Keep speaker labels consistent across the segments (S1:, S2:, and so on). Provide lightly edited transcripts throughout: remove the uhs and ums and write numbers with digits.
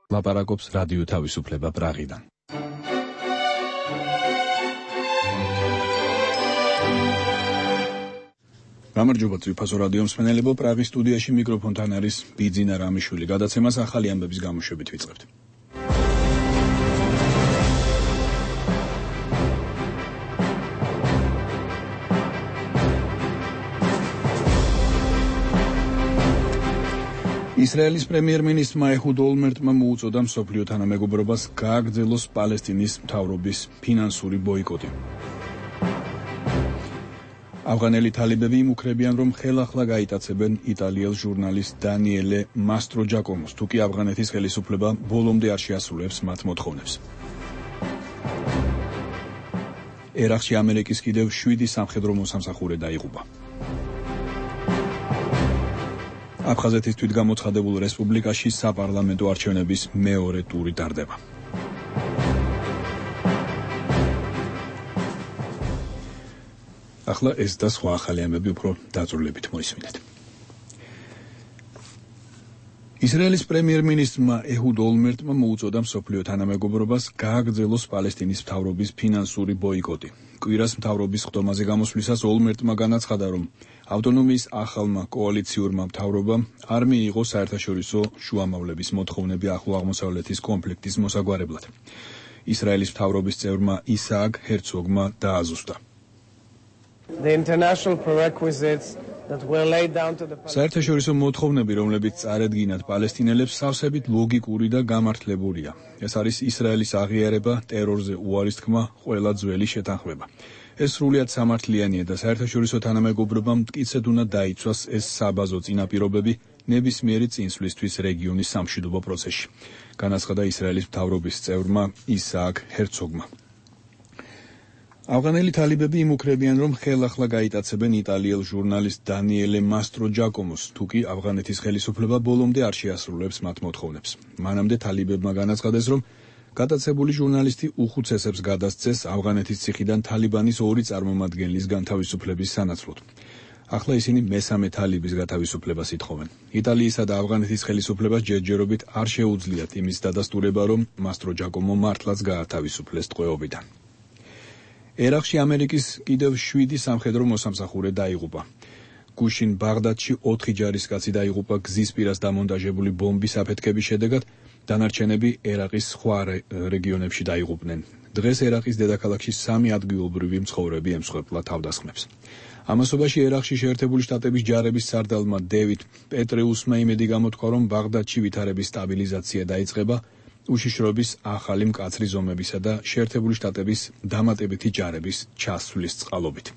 S1: ლაპარაკობს რადიო თავისუფლება პრაღიდან. გამარჯობა ძვირფასო რადიო მსმენელებო, პრაღის სტუდიაში მიკროფონთან არის ბიძინა რამიშვილი. გადაცემას ახალი ამბების გამოშვებით ვიწყებთ. ისრაელის პრემიერ-მინისტრმა ეჰუდ ოლმერტმა მოუწოდა მსოფლიო თანამეგობრობას გააგრძელოს პალესტინის მთავრობის ფინანსური ბოიკოტი. ავღანელი თალიბები იმუქრებიან, რომ ხელახლა გაიტაცებენ იტალიელ ჟურნალისტ დანიელე მასტროჯაკომოს, თუკი ავღანეთის ხელისუფლება ბოლომდე არ შეასრულებს მათ მოთხოვნებს. ერაყში ამერიკის კიდევ 7 სამხედრო მოსამსახურე დაიღუპა. აფხაზეთის თვითგამოცხადებულ რესპუბლიკაში საპარლამენტო არჩევნების მეორე ტური ტარდება. ახლა ეს და სხვა ახალი ამბები უფრო დაწვრილებით მოისმინეთ. ისრაელის პრემიერ-მინისტრმა ეჰუდ ოლმერტმა მოუწოდა მსოფლიო თანამეგობრობას გააგრძელოს პალესტინის მთავრობის ფინანსური ბოიკოტი. კვირას მთავრობის ხდომაზე გამოსვლისას ოლმერტმა განაცხადა, რომ ავტონომიის ახალმა კოალიციურმა მთავრობამ არ მიიღო საერთაშორისო შუამავლების მოთხოვნები ახლო აღმოსავლეთის კონფლიქტის მოსაგვარებლად. ისრაელის მთავრობის წევრმა ისააკ ჰერცოგმა დააზუსტა. საერთაშორისო მოთხოვნები, რომლებიც წარედგინათ პალესტინელებს, სავსებით ლოგიკური და გამართლებურია. ეს არის ისრაელის აღიარება, ტერორზე უარის თქმა, ყველა ძველი შეთანხმება. ეს სრულიად სამართლიანია და საერთაშორისო თანამეგობრობამ მტკიცედ უნდა დაიცვას ეს საბაზო წინაპირობები ნებისმიერი წინსვლისთვის რეგიონის სამშვიდობო პროცესში, განაცხადა ისრაელის მთავრობის წევრმა ისააკ ჰერცოგმა. ავღანელი თალიბები იმუქრებიან, რომ ხელახლა გაიტაცებენ იტალიელ ჟურნალისტ დანიელე მასტროჯაკომოს, თუკი ავღანეთის ხელისუფლება ბოლომდე არ შეასრულებს მათ მოთხოვნებს. მანამდე თალიბებმა განაცხადეს, რომ გადაცებული ჟურნალისტი უხუცესებს გადასცეს ავღანეთის ციხიდან თალიბანის 2 წარმომადგენლის განთავისუფლების სანაცვლოდ. ახლა ისინი მესამე თალიბის გათავისუფლებას ითხოვენ. იტალიისა და ავღანეთის ხელისუფლებას ჯერჯერობით არ შეუძლიათ იმის დადასტურება, რომ მასტროჯაკომო მართლაც გაათავისუფლეს ტყვეობიდან. ერაყში ამერიკის კიდევ 7 სამხედრო მოსამსახურე დაიღუპა. გუშინ ბაღდადში 4 ჯარისკაცი დაიღუპა გზის პირას დამონტაჟებული ბომბის აფეთქების შედეგად, დანარჩენები ერაყის სხვა რეგიონებში დაიღუპნენ. დღეს ერაყის დედაქალაქში 3 ადგილობრივი მცხოვრები ემსხვერპლა თავდასხმებს. ამასობაში ერაყში შეერთებული შტატების ჯარების სარდალმა დევიდ პეტრეუსმა იმედი გამოთქვა, რომ ბაღდადში ვითარების სტაბილიზაცია დაიწყება უშიშროების ახალი მკაცრი ზომებისა და შეერთებული შტატების დამატებითი ჯარების ჩასვლის წყალობით.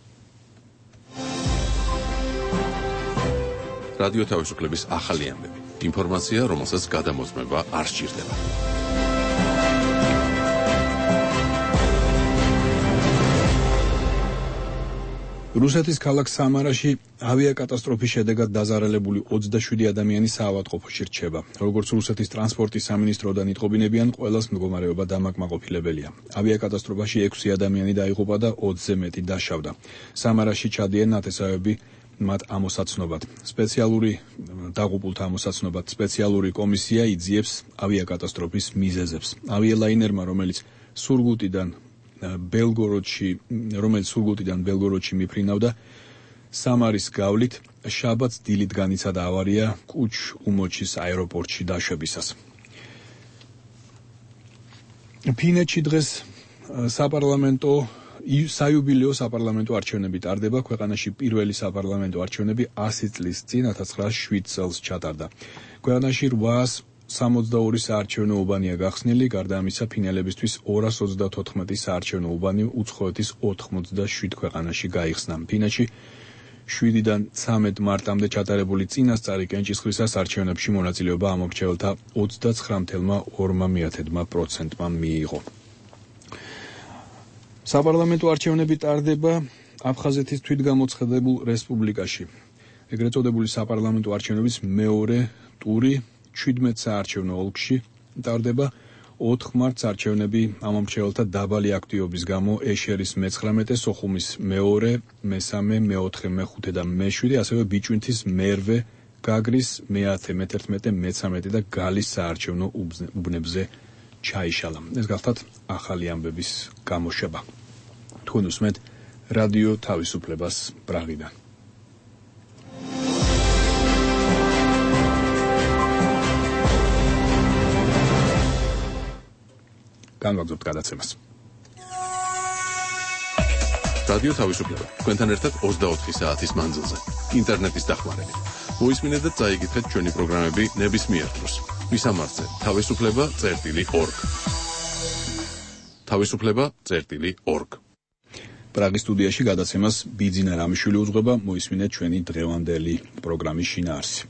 S2: რადიო თავისუფლების ახალი ამბები. ინფორმაცია, რომელსაც გადამოწმება არ სჭირდება.
S1: რუსეთის ქალაქ სამარაში ავიაკატასტროფის შედეგად დაზარალებული 27 ადამიანი საავადმყოფოში რჩება. როგორც რუსეთის ტრანსპორტის სამინისტროდან იტყობინებიან, ყველას მდგომარეობა დამაკმაყოფილებელია. ავიაკატასტროფაში 6 ადამიანი დაიღუპა და 20-ზე მეტი დაშავდა. სამარაში ჩადიან ნათესავები მათ ამოსაცნობად. დაღუპულთა ამოსაცნობად სპეციალური კომისია იძიებს ავიაკატასტროფის მიზეზებს. ავიალაინერმა, რომელიც სურგუტიდან ბელგოროდში მიფრინავდა, სამარის გავლით შაბათს დილით განიცადა ავარია კუჩ უმოჩის აეროპორტში დაშვებისას. ფინეთში დღეს საიუბილეო საპარლამენტო არჩევნები ტარდება. ქვეყანაში პირველი საპარლამენტო არჩევნები 100 წლის წინ 1907 წელს ჩატარდა. ქვეყანაში 862 საარჩევნო უბანია გახსნილი, გარდა ამისა ფინალებისთვის 234 საარჩევნო უბანი უცხოეთის 87 ქვეყანაში გაიხსნა. ფინეთში 7-დან 13 მარტამდე ჩატარებული წინასწარი კენჭისყრისას არჩევნებში მონაწილეობა ამომრჩეველთა 39.2%-მა მიიღო. საპარლამენტო არჩევნები ტარდება აფხაზეთის თვითგამოცხადებულ რესპუბლიკაში. ეგრეთ წოდებული საპარლამენტო არჩევნების მეორე ტური 17 საარჩევნო ოლქში ტარდება. 4 მარტს არჩევნები ამომრჩეველთა დაბალი აქტივობის გამო ეშერის მე-19, სოხუმის მე-2, მე-3, მე-4, მე-5 და მე-7, ასევე ბიჭვინთის მერვე გაგრის მე-10, მე-11, მე-13 და გალის საარჩევნო უბნებზე ჩაიშალა. ეს გახლავთ ახალი ამბების გამოშვება. თქვენ უსმენთ რადიო თავისუფლებას პრაღიდან. განვაგრძობთ გადაცემას.
S2: რადიო თავისუფლება. თქვენთან ერთად 24 საათის მანძილზე. ინტერნეტის დახმარებით. მოისმინეთ და წაიკითხეთ ჩვენი პროგრამები ნებისმიერ დროს. მისამართზე თავისუფლება.org. თავისუფლება.org.
S1: პრაღის სტუდიაში გადაცემას ბიძინა რამიშვილი უძღვება, მოისმინეთ ჩვენი დღევანდელი პროგრამის შინაარსი.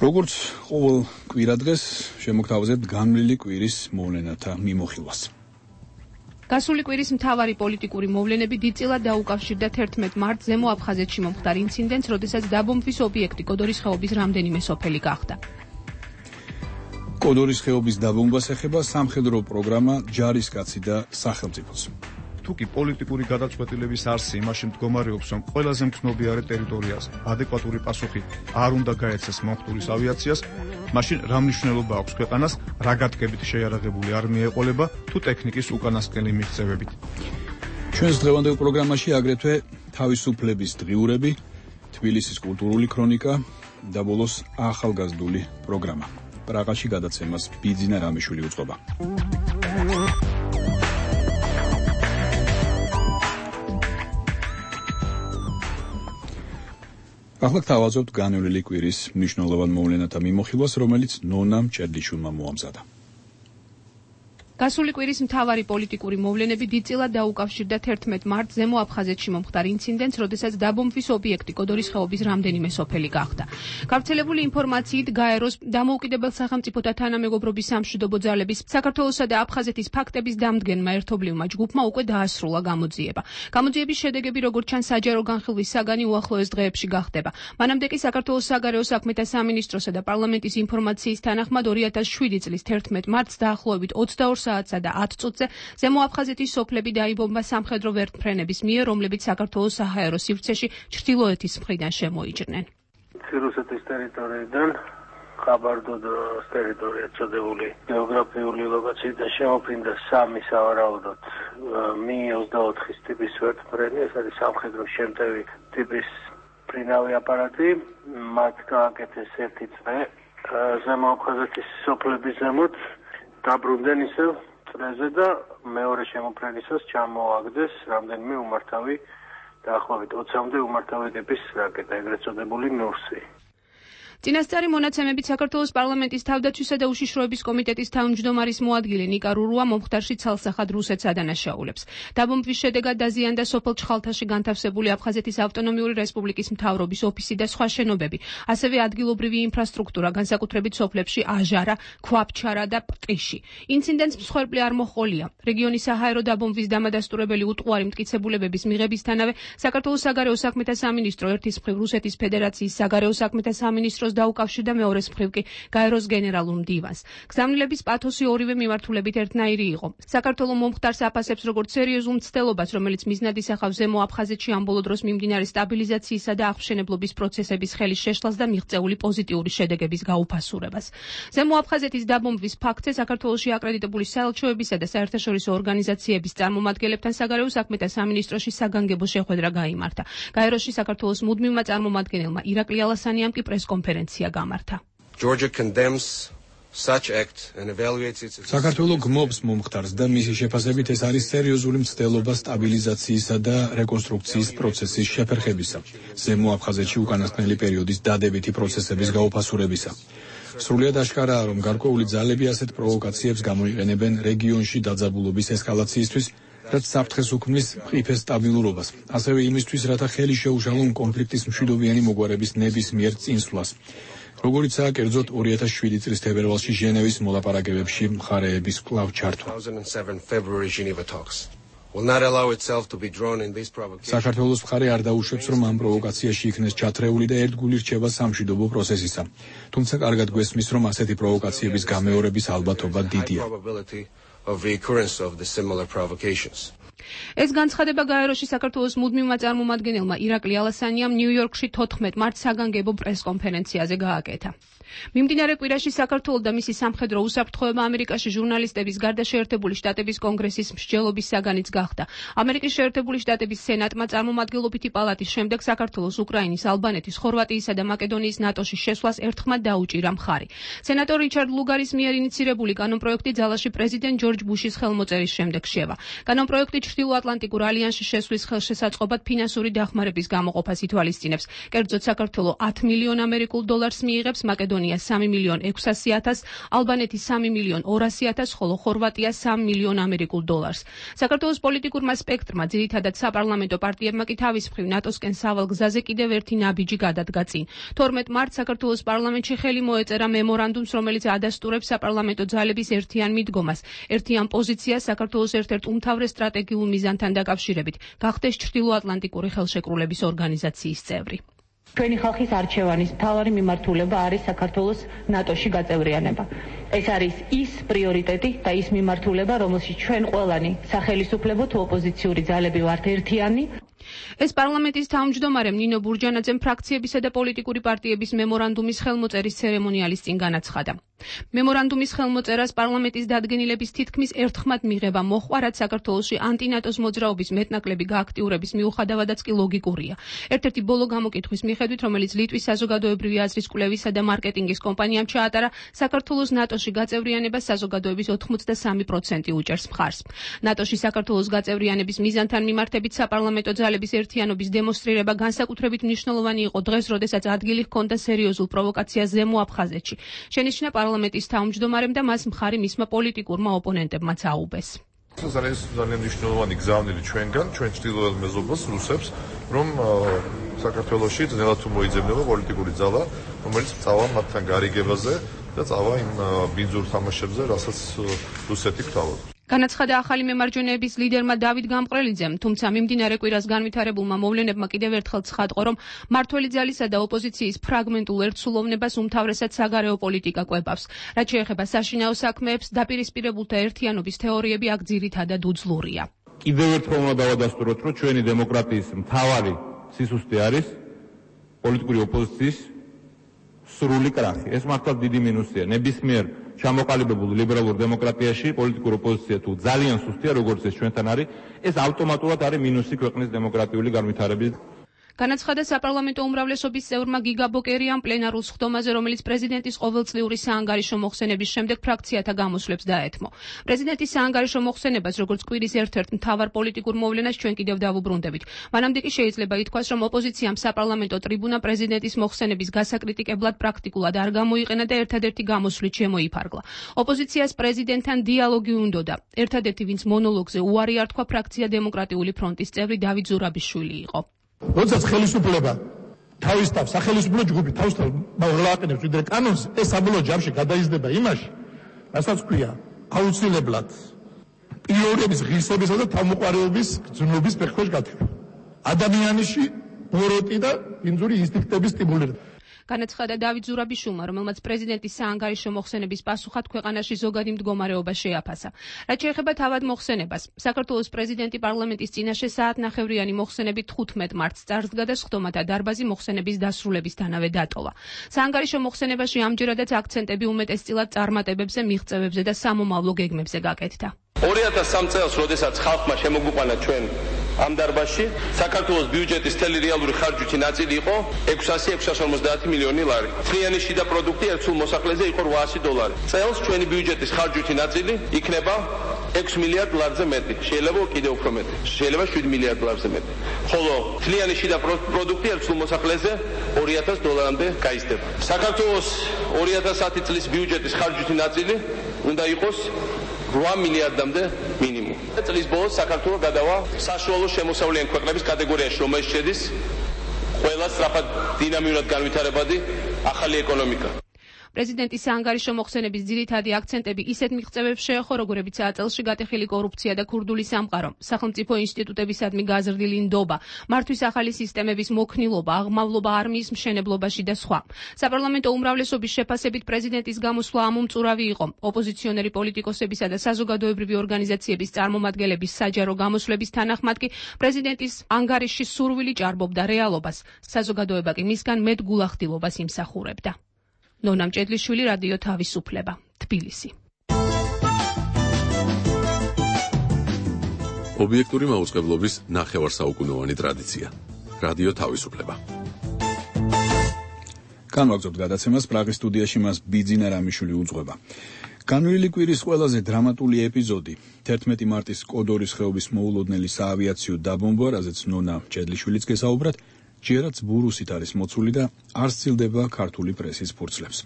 S1: როგორც ყოველ კვირადღეს შემოგთავაზებთ განვლილი კვირის მოვლენათა მიმოხილვას.
S3: გასული კვირის მთავარი პოლიტიკური მოვლენები დიდწილად დაუკავშირდა 11 მარტს ზემო აფხაზეთში მომხდარ ინციდენტს, როდესაც დაბომბვის ობიექტი კოდორის ხეობის რამდენიმე სოფელი გახდა.
S1: კოდორის ხეობის დაბომბვას ეხება სამხედრო პროგრამა ჯარისკაცი და სახელმწიფოს.
S4: თუკი პოლიტიკური გადაწყვეტილების არსი იმაში მდგომარეობს, რომ ყველაზე მგრძნობიარე ტერიტორიაზე ადეკვატური პასუხი არ უნდა გაეცეს მომხდურის ავიაციას, მაშინ რა მნიშვნელობა აქვს ქვეყანას, რა გათქმებით შეიარაღებული არმია ეყოლება თუ ტექნიკის უკანასკნელი მიღწევებით.
S1: ჩვენს დღევანდელ პროგრამაში აგრეთვე თავისუფლების დღიურები, თბილისის კულტურული ქრონიკა და ბოლოს ახალგაზრდული პროგრამა. პრაღაში გადაცემას ბიძინა რამიშვილი უძღვება. ახლა გთავაზობთ განვლილი კვირის მნიშვნელოვან მოვლენათა მიმოხილვას, რომელიც ნონამ ჭერდიშვილმა მოამზადა.
S3: გასული კვირის მთავარი პოლიტიკური მოვლენები დიდწილად დაუკავშირდა 11 მარტს ზემო აფხაზეთში მომხდარ ინციდენტს, როდესაც დაბომბვის ობიექტი კოდორის ხეობის რამდენიმე სოფელი გახდა. გავრცელებული ინფორმაციით გაეროს დამოუკიდებელ სახელმწიფოთა თანამეგობრობის სამშვიდობო ძალების საქართველოსა და აფხაზეთის ფაქტების დამდგენმა ერთობლივმა ჯგუფმა უკვე დაასრულა გამოძიება. გამოძიების შედეგები, როგორც ჩანს, საჯარო განხილვის საგანი უახლოეს დღეებში გახდება. მანამდე კი საქართველოს საგარეო საქმეთა სამინისტროსა და პარლამენტის ინფორმაციის თანახმად 2007 წლის 11 მარტს დაახლოებით 22 საათსა და 10 წუთზე ზემო აფხაზეთის სოფლები დაიბომბა სამხედრო ვერტმფრენების მიერ, რომლებიც საქართველოს საჰაერო სივრცეში ჩრდილოეთის მხრიდან შემოიჭრნენ.
S5: რუსეთის ტერიტორიიდან ხაბარდოდოს ტერიტორია წოდებული გეოგრაფიული ლოკაციიდან შემოფრინდა 3 სავარაუდოდ Mi-24 ტიპის ვერტმფრენი, ეს არის სამხედრო შემტევი ტიპის მფრინავი აპარატი, მათ გააკეთეს ერთი წრე ზემო აფხაზეთის სოფლების ზემოთ, დაბრუნდნენ ისევ წრეზე და მეორე შემოფრენისას ჩამოაგდეს რამდენიმე უმართავი, დაახლოებით 20-მდე უმართავი ტიპის რაკეტა, ეგრეთ წოდებული ნურსი.
S3: წინასწარი მონაცემებით საქართველოს პარლამენტის თავდაცვისა და უშიშროების კომიტეტის თავმჯდომარის მოადგილე ნიკა რურუა მომხდარში ცალსახად რუსეთს ადანაშაულებს. დაბომბვის შედეგად დაზიანდა სოფელ ჩხალთაში განთავსებული აფხაზეთის ავტონომიური რესპუბლიკის მთავრობის ოფისი და სხვა შენობები, ასევე ადგილობრივი ინფრასტრუქტურა, განსაკუთრებით სოფლებში აჟარა, ქვაბჩარა და პყიში. ინციდენტს მსხვერპლი არ მოჰყოლია. რეგიონის საჰაერო დაბომბვის დამადასტურებელი უტყუარი მტკიცებულებების მიღებისთანავე საქართველოს საგარეო საქმეთა სამინისტრო ერთის მხრივ რუსეთის ფედერაციის საგარეო საქმეთა სამინისტროს დაუკავშირდა, მეორეს მხრივ კი გაეროს გენერალურ მდივანს. გზავნილების პათოსი ორივე მიმართულებით ერთნაირი იყო. საქართველოს მომხდარს აფასებს როგორც სერიოზულ მცდელობას, რომელიც მიზნად ისახავს ზემო აფხაზეთში ამ ბოლო დროს მიმდინარე სტაბილიზაციისა და აღმშენებლობის პროცესების ხელის შეშლას და მიღწეული პოზიტიური შედეგების გაუფასურებას. ზემო აფხაზეთის დაბომბვის ფაქტზე საქართველოში აკრედიტებული საელჩოებისა და საერთაშორისო ორგანიზაციების წარმომადგენლებთან საგარეო საქმეთა სამინისტროში საგანგებო შეხვედრა გაიმართა. გაეროში საქართველოს მუდმივმა წარმომადგენელმა ირაკლი ალასანიამ კი პრესკონფერენცია გამართა.
S1: საქართველოს გმობს მომხდარს და მისი შეფასებით ეს არის სერიოზული მცდელობა სტაბილიზაციისა და რეკონსტრუქციის პროცესის შეფერხებისა, ზემო აფხაზეთში უკანასკნელი პერიოდის დადებითი პროცესების გაუფასურებისა. სრულიად აშკარაა, რომ გარკვეული ძალები ასეთ პროვოკაციებს გამოიყენებენ რეგიონში დაძაბულობის ესკალაციისთვის, რაც საფრთხეს უქმნის მყიფე სტაბილურობას, ასევე იმისთვის, რათა ხელი შეუშალონ კონფლიქტის მშვიდობიანი მოგვარების ნებისმიერ წინსვლას. როგორიცაა კერძოდ 2007 წლის თებერვალში ჟენევის მოლაპარაკებებში მხარეების კვლავ ჩართვა. საქართველოს მხარე არ დაუშვებს, რომ ამ პროვოკაციაში იქნეს ჩათრეული და ერთგული რჩება სამშვიდობო პროცესისა. თუმცა კარგად გვესმის, რომ ასეთი პროვოკაციების გამეორების ალბათობა დიდია.
S6: of recurrence of the similar provocations.
S3: ეს განცხადება გაეროში საქართველოს მუდმივმა წარმომადგენელმა ირაკლი ალასანიამ ნიუ-იორკში 14 მარტს საგანგებო პრესკონფერენციაზე გააკეთა. მიმდინარე კვირაში საქართველო და მისი სამხედრო უსაფრთხოება ამერიკაში ჟურნალისტების გარდა შეერთებული შტატების კონგრესის მსჯელობის საგანიც გახდა. ამერიკის შეერთებული შტატების სენატმა წარმომადგენლობითი პალატის შემდეგ საქართველოს, უკრაინის, ალბანეთის, ხორვატიისა და მაკედონიის ნატოში შესვლას ერთხმად დაუჭირა მხარი. სენატორ რიჩარდ ლუგარის მიერ ინიცირებული კანონპროექტი ძალაში პრეზიდენტ ჯორჯ ბუშის ხელმოწერის შემდეგ შევა. კანონპროექტი ჩრდილოატლანტიკურ ალიანსში შესვლის ხელშესაწყობად ფინანსური დახმარების გამოყოფას ითვალისწინებს. კერძოდ საქართველო 10 მილიონ ამერიკულ დოლარს მიიღებს, მაკედონია 3 მილიონ 600.000, ალბანეთი 3 მილიონ 200.000, ხოლო ხორვატია 3 მილიონ ამერიკულ დოლარს. საქართველოს პოლიტიკურმა სპექტრმა, ძირითადად საპარლამენტო პარტიებმა კი თავის მხრივ ნატოსკენ სავალ გზაზე კიდევ ერთი ნაბიჯი გადადგა წინ. 12 მარტს საქართველოს პარლამენტში ხელი მოეწერა მემორანდუმს, რომელიც ადასტურებს საპარლამენტო ძალების ერთიან მიდგომას, ერთიან პოზიციას საქართველოს ერთ-ერთ უმთავრეს სტრატეგიულ მიზანთან დაკავშირებით, გახდეს ჩრდილოატლანტიკური ხელშეკრულების ორგანიზაციის წევრი.
S7: ჩვენი ხალხის არჩევანის მთავარი მიმართულება არის საქართველოს ნატოში გაწევრიანება. ეს არის ის პრიორიტეტი და ის მიმართულება, რომელშიც ჩვენ ყველანი სახელისუფლებო თუ ოპოზიციური ძალები ვართ ერთიანი.
S3: ეს პარლამენტის თავმჯდომარემ ნინო ბურჯანაძემ ფრაქციებისა და პოლიტიკური პარტიების მემორანდუმის ხელმოწერის ცერემონიალის წინ განაცხადა. მემორანდუმის ხელმოწერას პარლამენტის დადგენილების თითქმის ერთხმად მიღება მოჰყვა, რაც საქართველოში ანტინატოს მოძრაობის მეტნაკლები გააქტიურების მიუხედავადაც კი ლოგიკურია. ერთ-ერთი ბოლო გამოკითხვის მიხედვით, რომელიც ლიტვის საზოგადოებრივი აზრის კვლევისა და მარკეტინგის კომპანიამ ჩაატარა, საქართველოს ნატოში გაწევრიანებას საზოგადოების 83% უჭერს მხარს. ნატოში საქართველოს გაწევრიანების მიზანთან მიმართებით საპარლამენტო ძალების ერთიანობის დემონსტრირება განსაკუთრებით მნიშვნელოვანი იყო დღეს, როდესაც ადგილი ჰქონდა სერიოზულ პროვოკაციას ზემო აფხაზეთში. შენიშნა პარლამენტის თავმჯდომარემ და მას მხარი მისმა პოლიტიკურმა ოპონენტებმაც აუბეს.
S8: ეს არის ძალიან მნიშვნელოვანი გზავნილი ჩვენგან, ჩვენ ჩრდილოეთ მეზობელს, რუსებს, რომ საქართველოში ძნელად თუ მოიძებნება პოლიტიკური ძალა, რომელიც წავა მათთან გარიგებაზე და წავა იმ ბინძურ თამაშებზე, რასაც რუსეთი გთავაზობს.
S3: განაცხადა ახალი მემარჯვენეების ლიდერმა დავით გამყრელიძემ, თუმცა მიმდინარე კვირას განვითარებულმა მოვლენებმა კიდევ ერთხელ ცხადყო, რომ მმართველი ძალისა და ოპოზიციის ფრაგმენტულ ერთსულოვნებას უმთავრესად საგარეო პოლიტიკა კვებავს. რაც შეეხება საშინაო საქმეებს, დაპირისპირებულთა ერთიანობის თეორიები აქ ძირითადად უძლურია.
S9: კიდევ ერთხელ უნდა დავადასტუროთ, რომ ჩვენი დემოკრატიის მთავარი სისუსტე არის პოლიტიკური ოპოზიციის სრული კრახი. ეს მართლა დიდი მინუსია. ნებისმიერ ჩამოყალიბებულ ლიბერალურ დემოკრატიაში პოლიტიკური ოპოზიცია თუ ძალიან სუსტია, როგორც ეს ჩვენთან არის, ეს ავტომატურად არის მინუსი ქვეყნის დემოკრატიული განვითარების.
S3: განაცხადა საპარლამენტო უმრავლესობის წევრმა გიგა ბოკერიამ პლენარულ სხდომაზე, რომელიც პრეზიდენტის ყოველწლიური საანგარიშო მოხსენების შემდეგ ფრაქციათა გამოსვლებს დაეთმო. პრეზიდენტის საანგარიშო მოხსენებას, როგორც კვირის ერთ-ერთ მთავარ პოლიტიკურ მოვლენას ჩვენ კიდევ დავუბრუნდებით. მანამდე კი შეიძლება ითქვას, რომ ოპოზიციამ საპარლამენტო ტრიბუნა პრეზიდენტის მოხსენების გასაკრიტიკებლად პრაქტიკულად არ გამოიყენა და ერთადერთი გამოსვლით შემოიფარგლა. ოპოზიციას პრეზიდენტთან დიალოგი უნდოდა. ერთადერთი, ვინც მონოლოგზე უარი არ თქვა, ფრაქცია დემოკრატიული ფრონტის წევრი დავით ზურაბიშვილი იყო.
S10: როდესაც ხელისუფლება თავის თავს, სახელისუფლო ჯგუფი თავის თავს მაღლაყენებს ვიდრე კანონს, ეს საბოლოო ჯამში გადაიზრდება იმაში, რასაც ქვია აუცილებლად პიროვნების ღირსებისა და თავმოყარეობის გრძნობის ფეხქვეშ გათვლა. ადამიანში ბოროტი და ბინძური ინსტინქტების სტიმულირება.
S3: განაცხადა დავით ზურაბიშვილმა, რომელმაც პრეზიდენტის საანგარიშო მოხსენების პასუხად ქვეყანაში ზოგადი მდგომარეობა შეაფასა. რაც შეეხება თავად მოხსენებას, საქართველოს პრეზიდენტი პარლამენტის წინაშე საათნახევრიანი მოხსენებით 15 მარტს წარსდგა და სხდომათა დარბაზი მოხსენების დასრულებისთანავე დატოვა. საანგარიშო მოხსენებაში ამჯერადაც აქცენტები უმეტესწილად წარმატებებზე, მიღწევებზე და სამომავლო გეგმებზე გაკეთდა.
S11: 2003 წელს, როდესაც ხალხმა შემოგვიყვანა ჩვენ ამ დარბაზში, საქართველოს ბიუჯეტის მთელი რეალური ხარჯვითი ნაწილი იყო 650 მილიონი ლარი. მთლიანი შიდა პროდუქტი ერთ სულ მოსახლეზე იყო $800. წელს ჩვენი ბიუჯეტის ხარჯვითი ნაწილი იქნება 6 მილიარდ ლარზე მეტი. შეიძლება კიდევ უფრო მეტი. შეიძლება 7 მილიარდ ლარზე მეტი. ხოლო მთლიანი შიდა პროდუქტი ერთ სულ მოსახლეზე $2000-მდე გაიზრდება. საქართველოს 2010 წლის ბიუჯეტის ხარჯვითი ნაწილი უნდა იყოს 8 მილიარდამდე მინიმუმ. წლის ბოლოს საქართველოს გადავა საშუალო შემოსავლიანი ქვეყნების კატეგორიაში, რომელშიც შედის ყველა სწრაფად დინამიურად განვითარებადი ახალი ეკონომიკა.
S3: პრეზიდენტის საანგარიშო მოხსენების ძირითადი აქცენტები ისეთ მიღწევებს შეეხო, როგორებიცაა წელში გატეხილი კორუფცია და ქურდული სამყარო, სახელმწიფო ინსტიტუტებისადმი გაზრდილი ნდობა, მართვის ახალი სისტემების მოქნილობა, აღმავლობა არმიის მშენებლობაში და სხვა. საპარლამენტო უმრავლესობის შეფასებით პრეზიდენტის გამოსვლა ამომწურავი იყო. ოპოზიციონერი პოლიტიკოსებისა და საზოგადოებრივი ორგანიზაციების წარმომადგენლების საჯარო გამოსვლების თანახმად კი პრეზიდენტის ანგარიში სურვილი ჭარბობდა რეალობას. საზოგადოება კი მისგან მეტ გულახდილობას იმსახურებდა. ნონა მჭედლიშვილი, რადიო თავისუფლება, თბილისი.
S2: ობიექტური მაუწყებლობის ნახევარსაუკუნოვანი ტრადიცია. რადიო თავისუფლება.
S1: განვაგრძობთ გადაცემას, პრაღის სტუდიაში მას ბიძინა რამიშვილი უძღვება. განვლილი კვირის ყველაზე დრამატული ეპიზოდი 11 მარტის კოდორის ხეობის მოულოდნელი საავიაციო დაბომბვა, რაზეც ნონა მჭედლიშვილიც გესაუბრათ, ჯერაც ბურუსით არის მოცული და არ სცილდება ქართული პრესის ფურცლებს.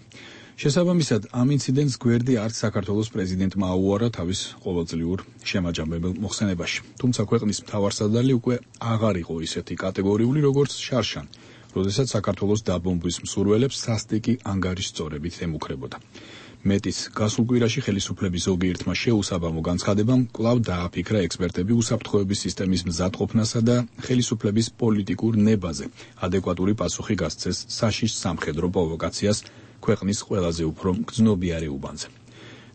S1: შესაბამისად, ამ ინციდენტს გვერდი არც საქართველოს პრეზიდენტმა აუარა თავის ყოველწლიურ შემაჯამებელ მოხსენებაში. თუმცა ქვეყნის მთავარსარდალი უკვე აღარ იყო ისეთი კატეგორიული, როგორც შარშან, როდესაც საქართველოს დაბომბვის მსურველებს სასტიკი ანგარიშწორებით ემუქრებოდა. მეტის გასულ კვირაში ხელისუფლების ზოგიერთმა შეუსაბამო განცხადებამ კვლავ დააფიქრა ექსპერტები უსაფრთხოების სისტემის მზადყოფნასა და ხელისუფლების პოლიტიკურ ნებაზე ადეკვატური პასუხი გასცეს საშიშ სამხედრო პროვოკაციას ქვეყნის ყველაზე უფრო გრძნობიარე უბანზე.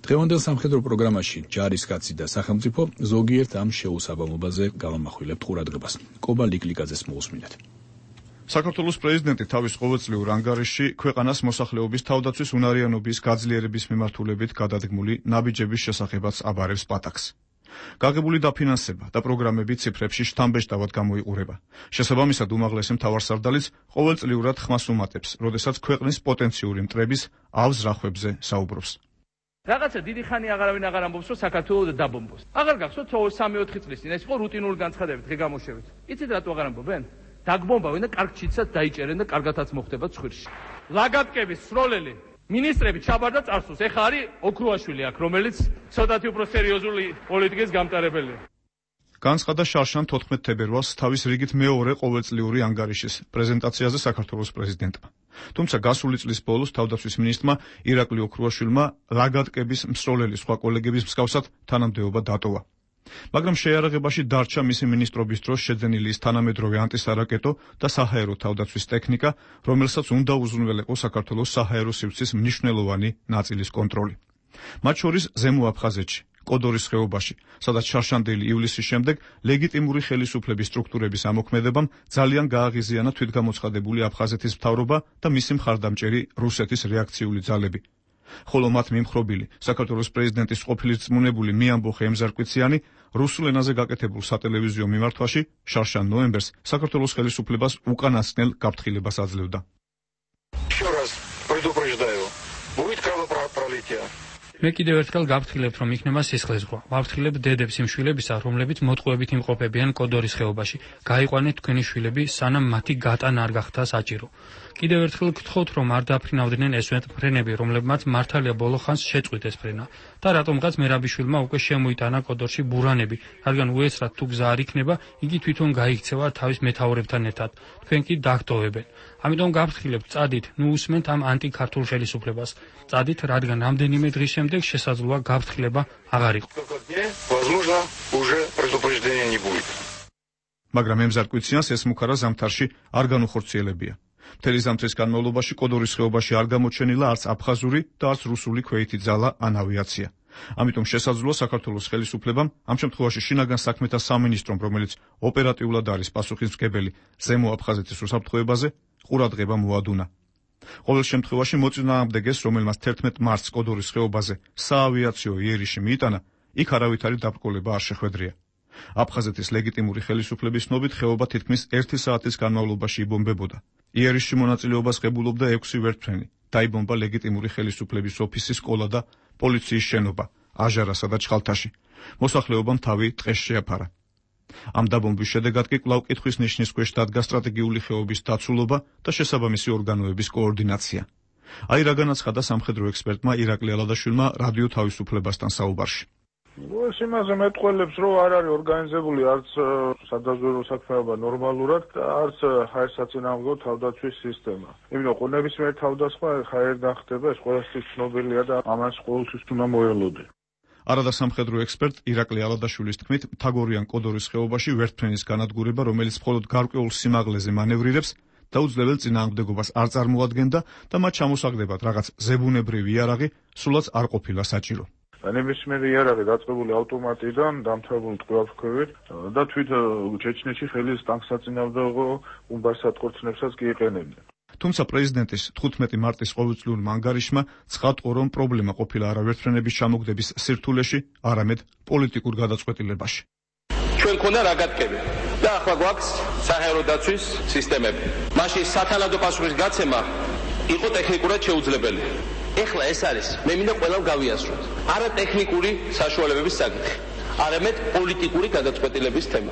S1: დღევანდელ სამხედრო პროგრამაში ჯარისკაცი და სახელმწიფო ზოგიერთ ამ შეუსაბამობაზე გავამახვილებთ ყურადღებას. კობა ლიკლიკაძეს მოусმინეთ.
S4: საქართველოს პრეზიდენტი თავის ყოველწლიურ ანგარიშში ქვეყანას მოსახლეობის თავდაცვის უნარიანობის გაძლიერების მიმართულებით გადადგმული ნაბიჯების შესახებაც აბარებს პატაკს. გაღებული დაფინანსება და პროგრამები ციფრებში შთამბეჭდავად გამოიყურება. შესაბამისად, უმაღლესი მთავარსარდალიც ყოველწლიურად ხმას უმატებს, როდესაც ქვეყნის პოტენციური მტრების ავზ რახვებზე საუბრობს.
S12: რაღაცა დიდი ხანი აღარავინ აღარ ამბობს, რომ საქართველოს დაბომბოს. აღარ გახსოვთ 3-4 წლის წინ ეს იყო რუტინული განცხადებით, დღე გამოშევით. იცით რატო აღარ ამბობენ? დაგბომბავენ და კარგ ჩიცად დაიჭერენ და კარგათაც მოხდება ცხვირში. ლაგატკების სროლელი მინისტრები ჩაბარდა წარსულს. ეხა არის ოქრუაშვილი აქ, რომელიც ცოტათი უფრო სერიოზული პოლიტიკის გამტარებელია.
S4: განცხადა შარშან 14 თებერვალს თავის რიგით მეორე ყოველწლიური ანგარიშის პრეზენტაციაზე საქართველოს პრეზიდენტმა. თუმცა გასული წლის ბოლოს თავდაცვის მინისტრმა ირაკლი ოქრუაშვილმა ლაგატკების მსროლელი სხვა კოლეგების მსგავსად თანამდებობა დატოვა. მაგრამ შეიარაღებაში დარჩა მისი მინისტრობის დროს შეძენილი ის თანამედროვე ანტისარაკეტო და საჰაერო თავდაცვის ტექნიკა, რომელსაც უნდა უზრუნველეყო საქართველოს საჰაერო სივრცის მნიშვნელოვანი ნაწილის კონტროლი. მათ შორის ზემო აფხაზეთში, კოდორის ხეობაში, სადაც შარშანდელი ივლისის შემდეგ ლეგიტიმური ხელისუფლების სტრუქტურების ამოქმედებამ ძალიან გააღიზიანა თვითგამოცხადებული აფხაზეთის მთავრობა და მისი მხარდამჭერი რუსეთის რეაქციული ძალები. ხოლო მათ მიმხრობილი საქართველოს პრეზიდენტის ყოფილი რწმუნებული მიამბოხე ემზარკვიციანი რუსულ ენაზე გაკეთებულ სატელევიზიო მიმართვაში შარშან ნოემბერს საქართველოს ხელისუფლებას უკანასკნელ გაფრთხილებას აძლევდა.
S13: მე კიდევ ერთხელ გავფრთხილებთ, რომ იქნება სისხლისღვრა. ვაფრთხილებ დედებს იმ შვილებისა, რომლებიც მოტყუებით იმყოფებიან კოდორის ხეობაში. გაიყვანეთ თქვენი შვილები, სანამ მათი გატანა არ გახდა საჭირო. კიდევ ერთხელ გთხოვთ, რომ არ დაფრინავდნენ ესვენ ფრენები, რომლებმაც მართალია ბოლო ხანს შეწყვიტეს ფრენა. და რატომღაც მერაბიშვილმა უკვე შემოიტანა კოდორში ბურანები, რადგან უესრად თუ გზა არ იქნება, იგი თვითონ გაიქცევა თავის მეთაურებთან ერთად. თქვენ კი დაგტოვებენ. ამიტომ გავფრთხილებთ, წადით, ნუ უსმენთ ამ ანტიქართულ ხელისუფლებას. წადით, რადგან რამდენიმე დღის შემდეგ შესაძლოა გაფრთხილება აღარ იყო.
S4: მაგრამ ემზარკვიციანს ეს მუქარა ზამთარში არ განუხორციელებია. მთელი ზამთრის განმავლობაში კოდორის ხეობაში არ გამოჩენილა არც აფხაზური და არც რუსული ქვეითი ძალა ან ავიაცია. ამიტომ შესაძლოა საქართველოს ხელისუფლებამ ამ შემთხვევაში შინაგან საქმეთა სამინისტრომ, რომელიც ოპერატიულად არის პასუხისმგებელი ზემო აფხაზეთის უსაფრთხოებაზე, ყურადღება მოადუნა. ყოველ შემთხვევაში მოწინააღმდეგეს, რომელმაც 11 მარტს კოდორის ხეობაზე საავიაციო იერიში მიიტანა, იქ არავითარი დაბრკოლება არ შეხვედრია. აფხაზეთის ლეგიტიმური ხელისუფლების ცნობით ხეობა თითქმის 1 საათის განმავლობაში იბომბებოდა. იერიში მონაწილეობას ღებულობდა 6 ვერტმფრენი. დაიბომბა ლეგიტიმური ხელისუფლების ოფისი, სკოლა და პოლიციის შენობა, აჟარასა და ჩხალთაში. მოსახლეობამ თავი ტყეს შეაფარა. ამ დაბომბვის შედეგად კი კვლავ კითხვის ნიშნის ქვეშ დადგა სტრატეგიული ხეობის დაცულობა და შესაბამისი ორგანოების კოორდინაცია. აი რა განაცხადა სამხედრო ექსპერტმა ირაკლი ალადაშვილმა რადიო თავისუფლებასთან საუბარში.
S8: ეს იმაზე მეტყველებს, რომ არ არის ორგანიზებული არც სადაზვერვო საქმეობა ნორმალურად და არც ჰაერსაწინააღმდეგო თავდაცვის სისტემა. იმიტომ რომ ნებისმიერ თავდასხმა ჰაერიდან ხდება, ეს ყველასთვის ცნობილია და ამას ყოველთვის უნდა მოელოდე.
S4: არადა სამხედრო ექსპერტ ირაკლი ალადაშვილის თქმით, მთაგორიან კოდორის ხეობაში ვერტმფრენის განადგურება, რომელიც მხოლოდ გარკვეულ სიმაღლეზე მანევრირებს, დაუძლებელ წინააღმდეგობას არ წარმოადგენდა და მათ ჩამოსაგდებად რაღაც ზებუნებრივი იარაღი სულაც არ ყოფილა საჭირო.
S8: ნებისმიერი იარაღი დაწყებული ავტომატიდან, დამთავრებული ტყვიავქვევით და თვით ჩეჩნეთში ხელის ტანკსაწინააღმდეგო უმბარსატყორცნებსაც კი იყენებდნენ.
S4: თუმცა პრეზიდენტის 15 მარტის ყოველწლიურმა ანგარიშმა ცხადყო, რომ პრობლემა ყოფილა არა ვერტმფრენების ჩამოგდების სირთულეში, არამედ პოლიტიკურ გადაწყვეტილებაში.
S11: ჩვენ ქონდა რა გატკები და ახლა გვაქვს საჰაერო დაცვის სისტემები. მაშინ სათანადო პასუხის გაცემა იყო ტექნიკურად შეუძლებელი. ეხლა ეს არის, მე მინდა ყველამ გავიაზროთ. არა ტექნიკური საშუალებების საკითხი, არამედ პოლიტიკური გადაწყვეტილების თემა.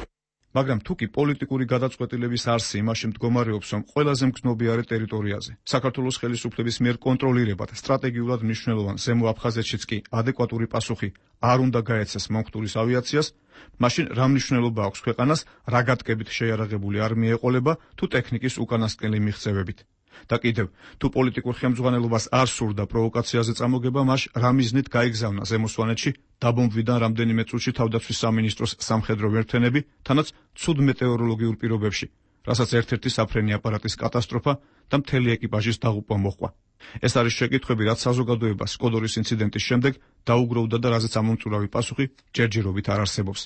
S4: მაგრამ თუ კი პოლიტიკური გადაწყვეტილების არსი იმაში მდგომარეობს, რომ ყველაზე მგრძნობიარე ტერიტორიაზე საქართველოს ხელისუფლების მიერ კონტროლირებად სტრატეგიულად მნიშვნელოვან ზემო აფხაზეთშიც კი ადეკვატური პასუხი არ უნდა გაეცეს მომხდურის ავიაციას, მაშინ რა მნიშვნელობა აქვს ქვეყანას რა გატკებით შეიარაღებული არმია ეყოლება თუ ტექნიკის უკანასკნელი მიღწევებით. და კიდევ, თუ პოლიტიკურ ხელმძღვანელობას არ სურდა პროვოკაციაზე წამოგება, მას რა მიზნით გაიგზავნა ზემო სვანეთში დაბომბვიდან რამდენიმე წუთში თავდაცვის სამინისტროს სამხედრო ვერტმფრენები, თანაც ცუდ მეტეოროლოგიურ პირობებში, რასაც ერთ-ერთი საფრენი აპარატის კატასტროფა და მთელი ეკიპაჟის დაღუპვა მოჰყვა. ეს არის შეკითხვები, რაც საზოგადოებას კოდორის ინციდენტის შემდეგ დაუგროვდა და რაზეც ამომწურავი პასუხი ჯერჯერობით არ არსებობს.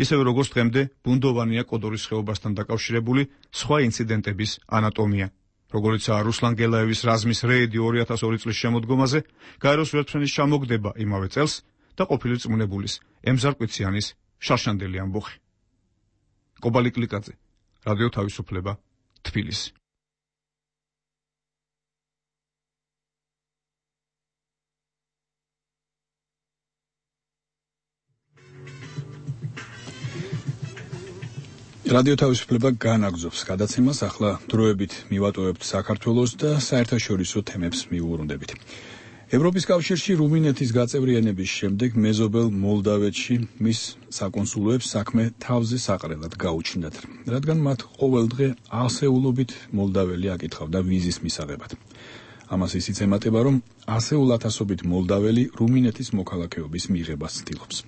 S4: ისევე როგორც დღემდე ბუნდოვანია კოდორის ხეობასთან დაკავშირებული სხვა ინციდენტების ანატომია. როგორიცაა რუსლან გელაევის რაზმის რეიდი 2002 წლის შემოდგომაზე, გაეროს ვერტმფრენის ჩამოგდება იმავე წელს და ყოფილი წმუნებულის ემზარ კვიციანის შარშანდელი ამბოხი. კობალი კლიკაძე, რადიო თავისუფლება, თბილისი.
S1: რადიო თავისუფლება განაგზობს გადაცემას, ახლა დროებით მივატოვებთ საქართველოს და საერთაშორისო თემებს მივუბრუნდებით. ევროპის კავშირში რუმინეთის გაწევრიანების შემდეგ მეზობელ მოლდავეთში მის საკონსულოებს საქმე თავზე საყრელად გაუჩნდათ, რადგან მათ ყოველდღე ასეულობით მოლდაველი აკითხავდა ვიზის მისაღებად. ამას ისიც ემატება, რომ ასეულ ათასობით მოლდაველი რუმინეთის მოქალაქეობის მიღებას ცდილობს.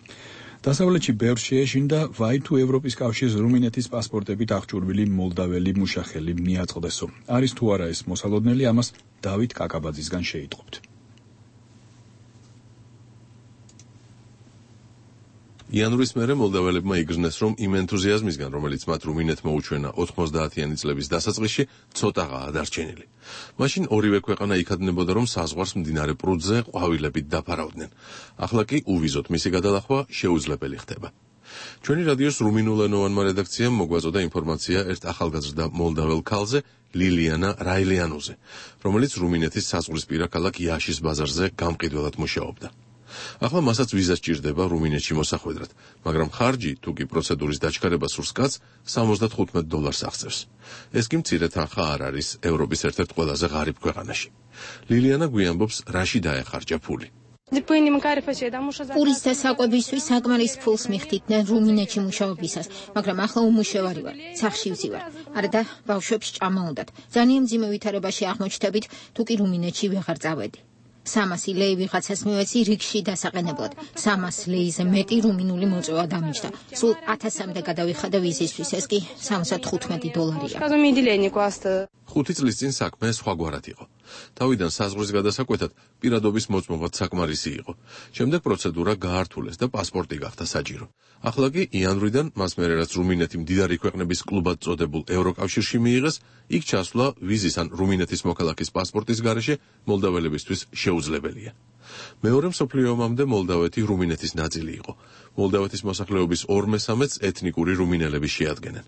S1: დასავლეთში ბევრს შეეშინდა ვაი თუ ევროპის კავშირის რუმინეთის პასპორტებით აღჭურვილი მოლდაველი მუშახელი მიაწყდესო. არის თუ არა ეს მოსალოდნელი, ამას დავით კაკაბაძისგან შეიტყობთ.
S2: იანვრის მერე მოლდაველებმა იგრძნეს, რომ იმ ენთუზიაზმისგან, რომელიც მათ რუმინეთმა უჩვენა 90-იანი წლების დასაწყისში, ცოტაღაა დარჩენილი. მაშინ ორივე ქვეყანა იქადნებოდა, რომ საზღვარს მდინარე პრუდზე ყვავილებით დაფარავდნენ. ახლა კი უვიზოთ მისი გადალახვა შეუძლებელი ხდება. ჩვენი რადიოს რუმინულენოვანმა რედაქციამ მოგვაწოდა ინფორმაცია ერთ ახალგაზრდა მოლდაվել ქალზე, ლილიანა რაილიანუზე, რომელიც რუმინეთის საზღვრისპირა ქალაქ იაშის ბაზარზე გამყიდველად მუშაობდა. ახლა მასაც ვიზა სჭირდება რუმინეთში მოსახვედრად, მაგრამ ხარჯი თუ კი პროცედურის დაჩქარება სურს კაცს $75 აღწევს. ეს კი მცირე თანხა არ არის ევროპის ერთ-ერთ ყველაზე ღარიბ ქვეყანაში. ლილიანა გვიამბობს, რაში დაეხარჯა ფული.
S14: პურის და საკვებისთვის საკმარის ფულს მიხდიდნენ რუმინეთში მუშაობისას, მაგრამ ახლა უმუშევარი ვარ, სახლში ვზივარ. არა და ბავშვებს ჭამა უნდათ. ძალიან მძიმე ვითარებაში აღმოჩნდებით, თუ კი რუმინეთში ვეღარ წავედი. 300 ლეი ვიღაცას მივეცი რიგში დასაყენებლად. 300 ლეიზე მეტი რუმინული მოწვევა დამიჯდა. სულ 1000-მდე გადავიხადა ვიზისთვის, ეს კი $75.
S2: 5 წლის წინ საქმე სხვაგვარად იყო. თავიდან საზღვრის გადასაკვეთად პირადობის მოწმობაც საკმარისი იყო. შემდეგ პროცედურა გაართულეს და პასპორტი გახდა საჭირო. ახლა კი იანვრიდან მას მერე რაც რუმინეთი მდიდარი ქვეყნების კლუბად წოდებულ ევროკავშირში მიიღეს, იქ ჩასვლა ვიზის ან რუმინეთის მოქალაქის პასპორტის გარეშე მოლდაველებისთვის შეუძლებელია. მეორე მსოფლიო ომამდე მოლდავეთი რუმინეთის ნაწილი იყო. მოლდავეთის მოსახლეობის 2/3-ს ეთნიკური რუმინელები შეადგენენ.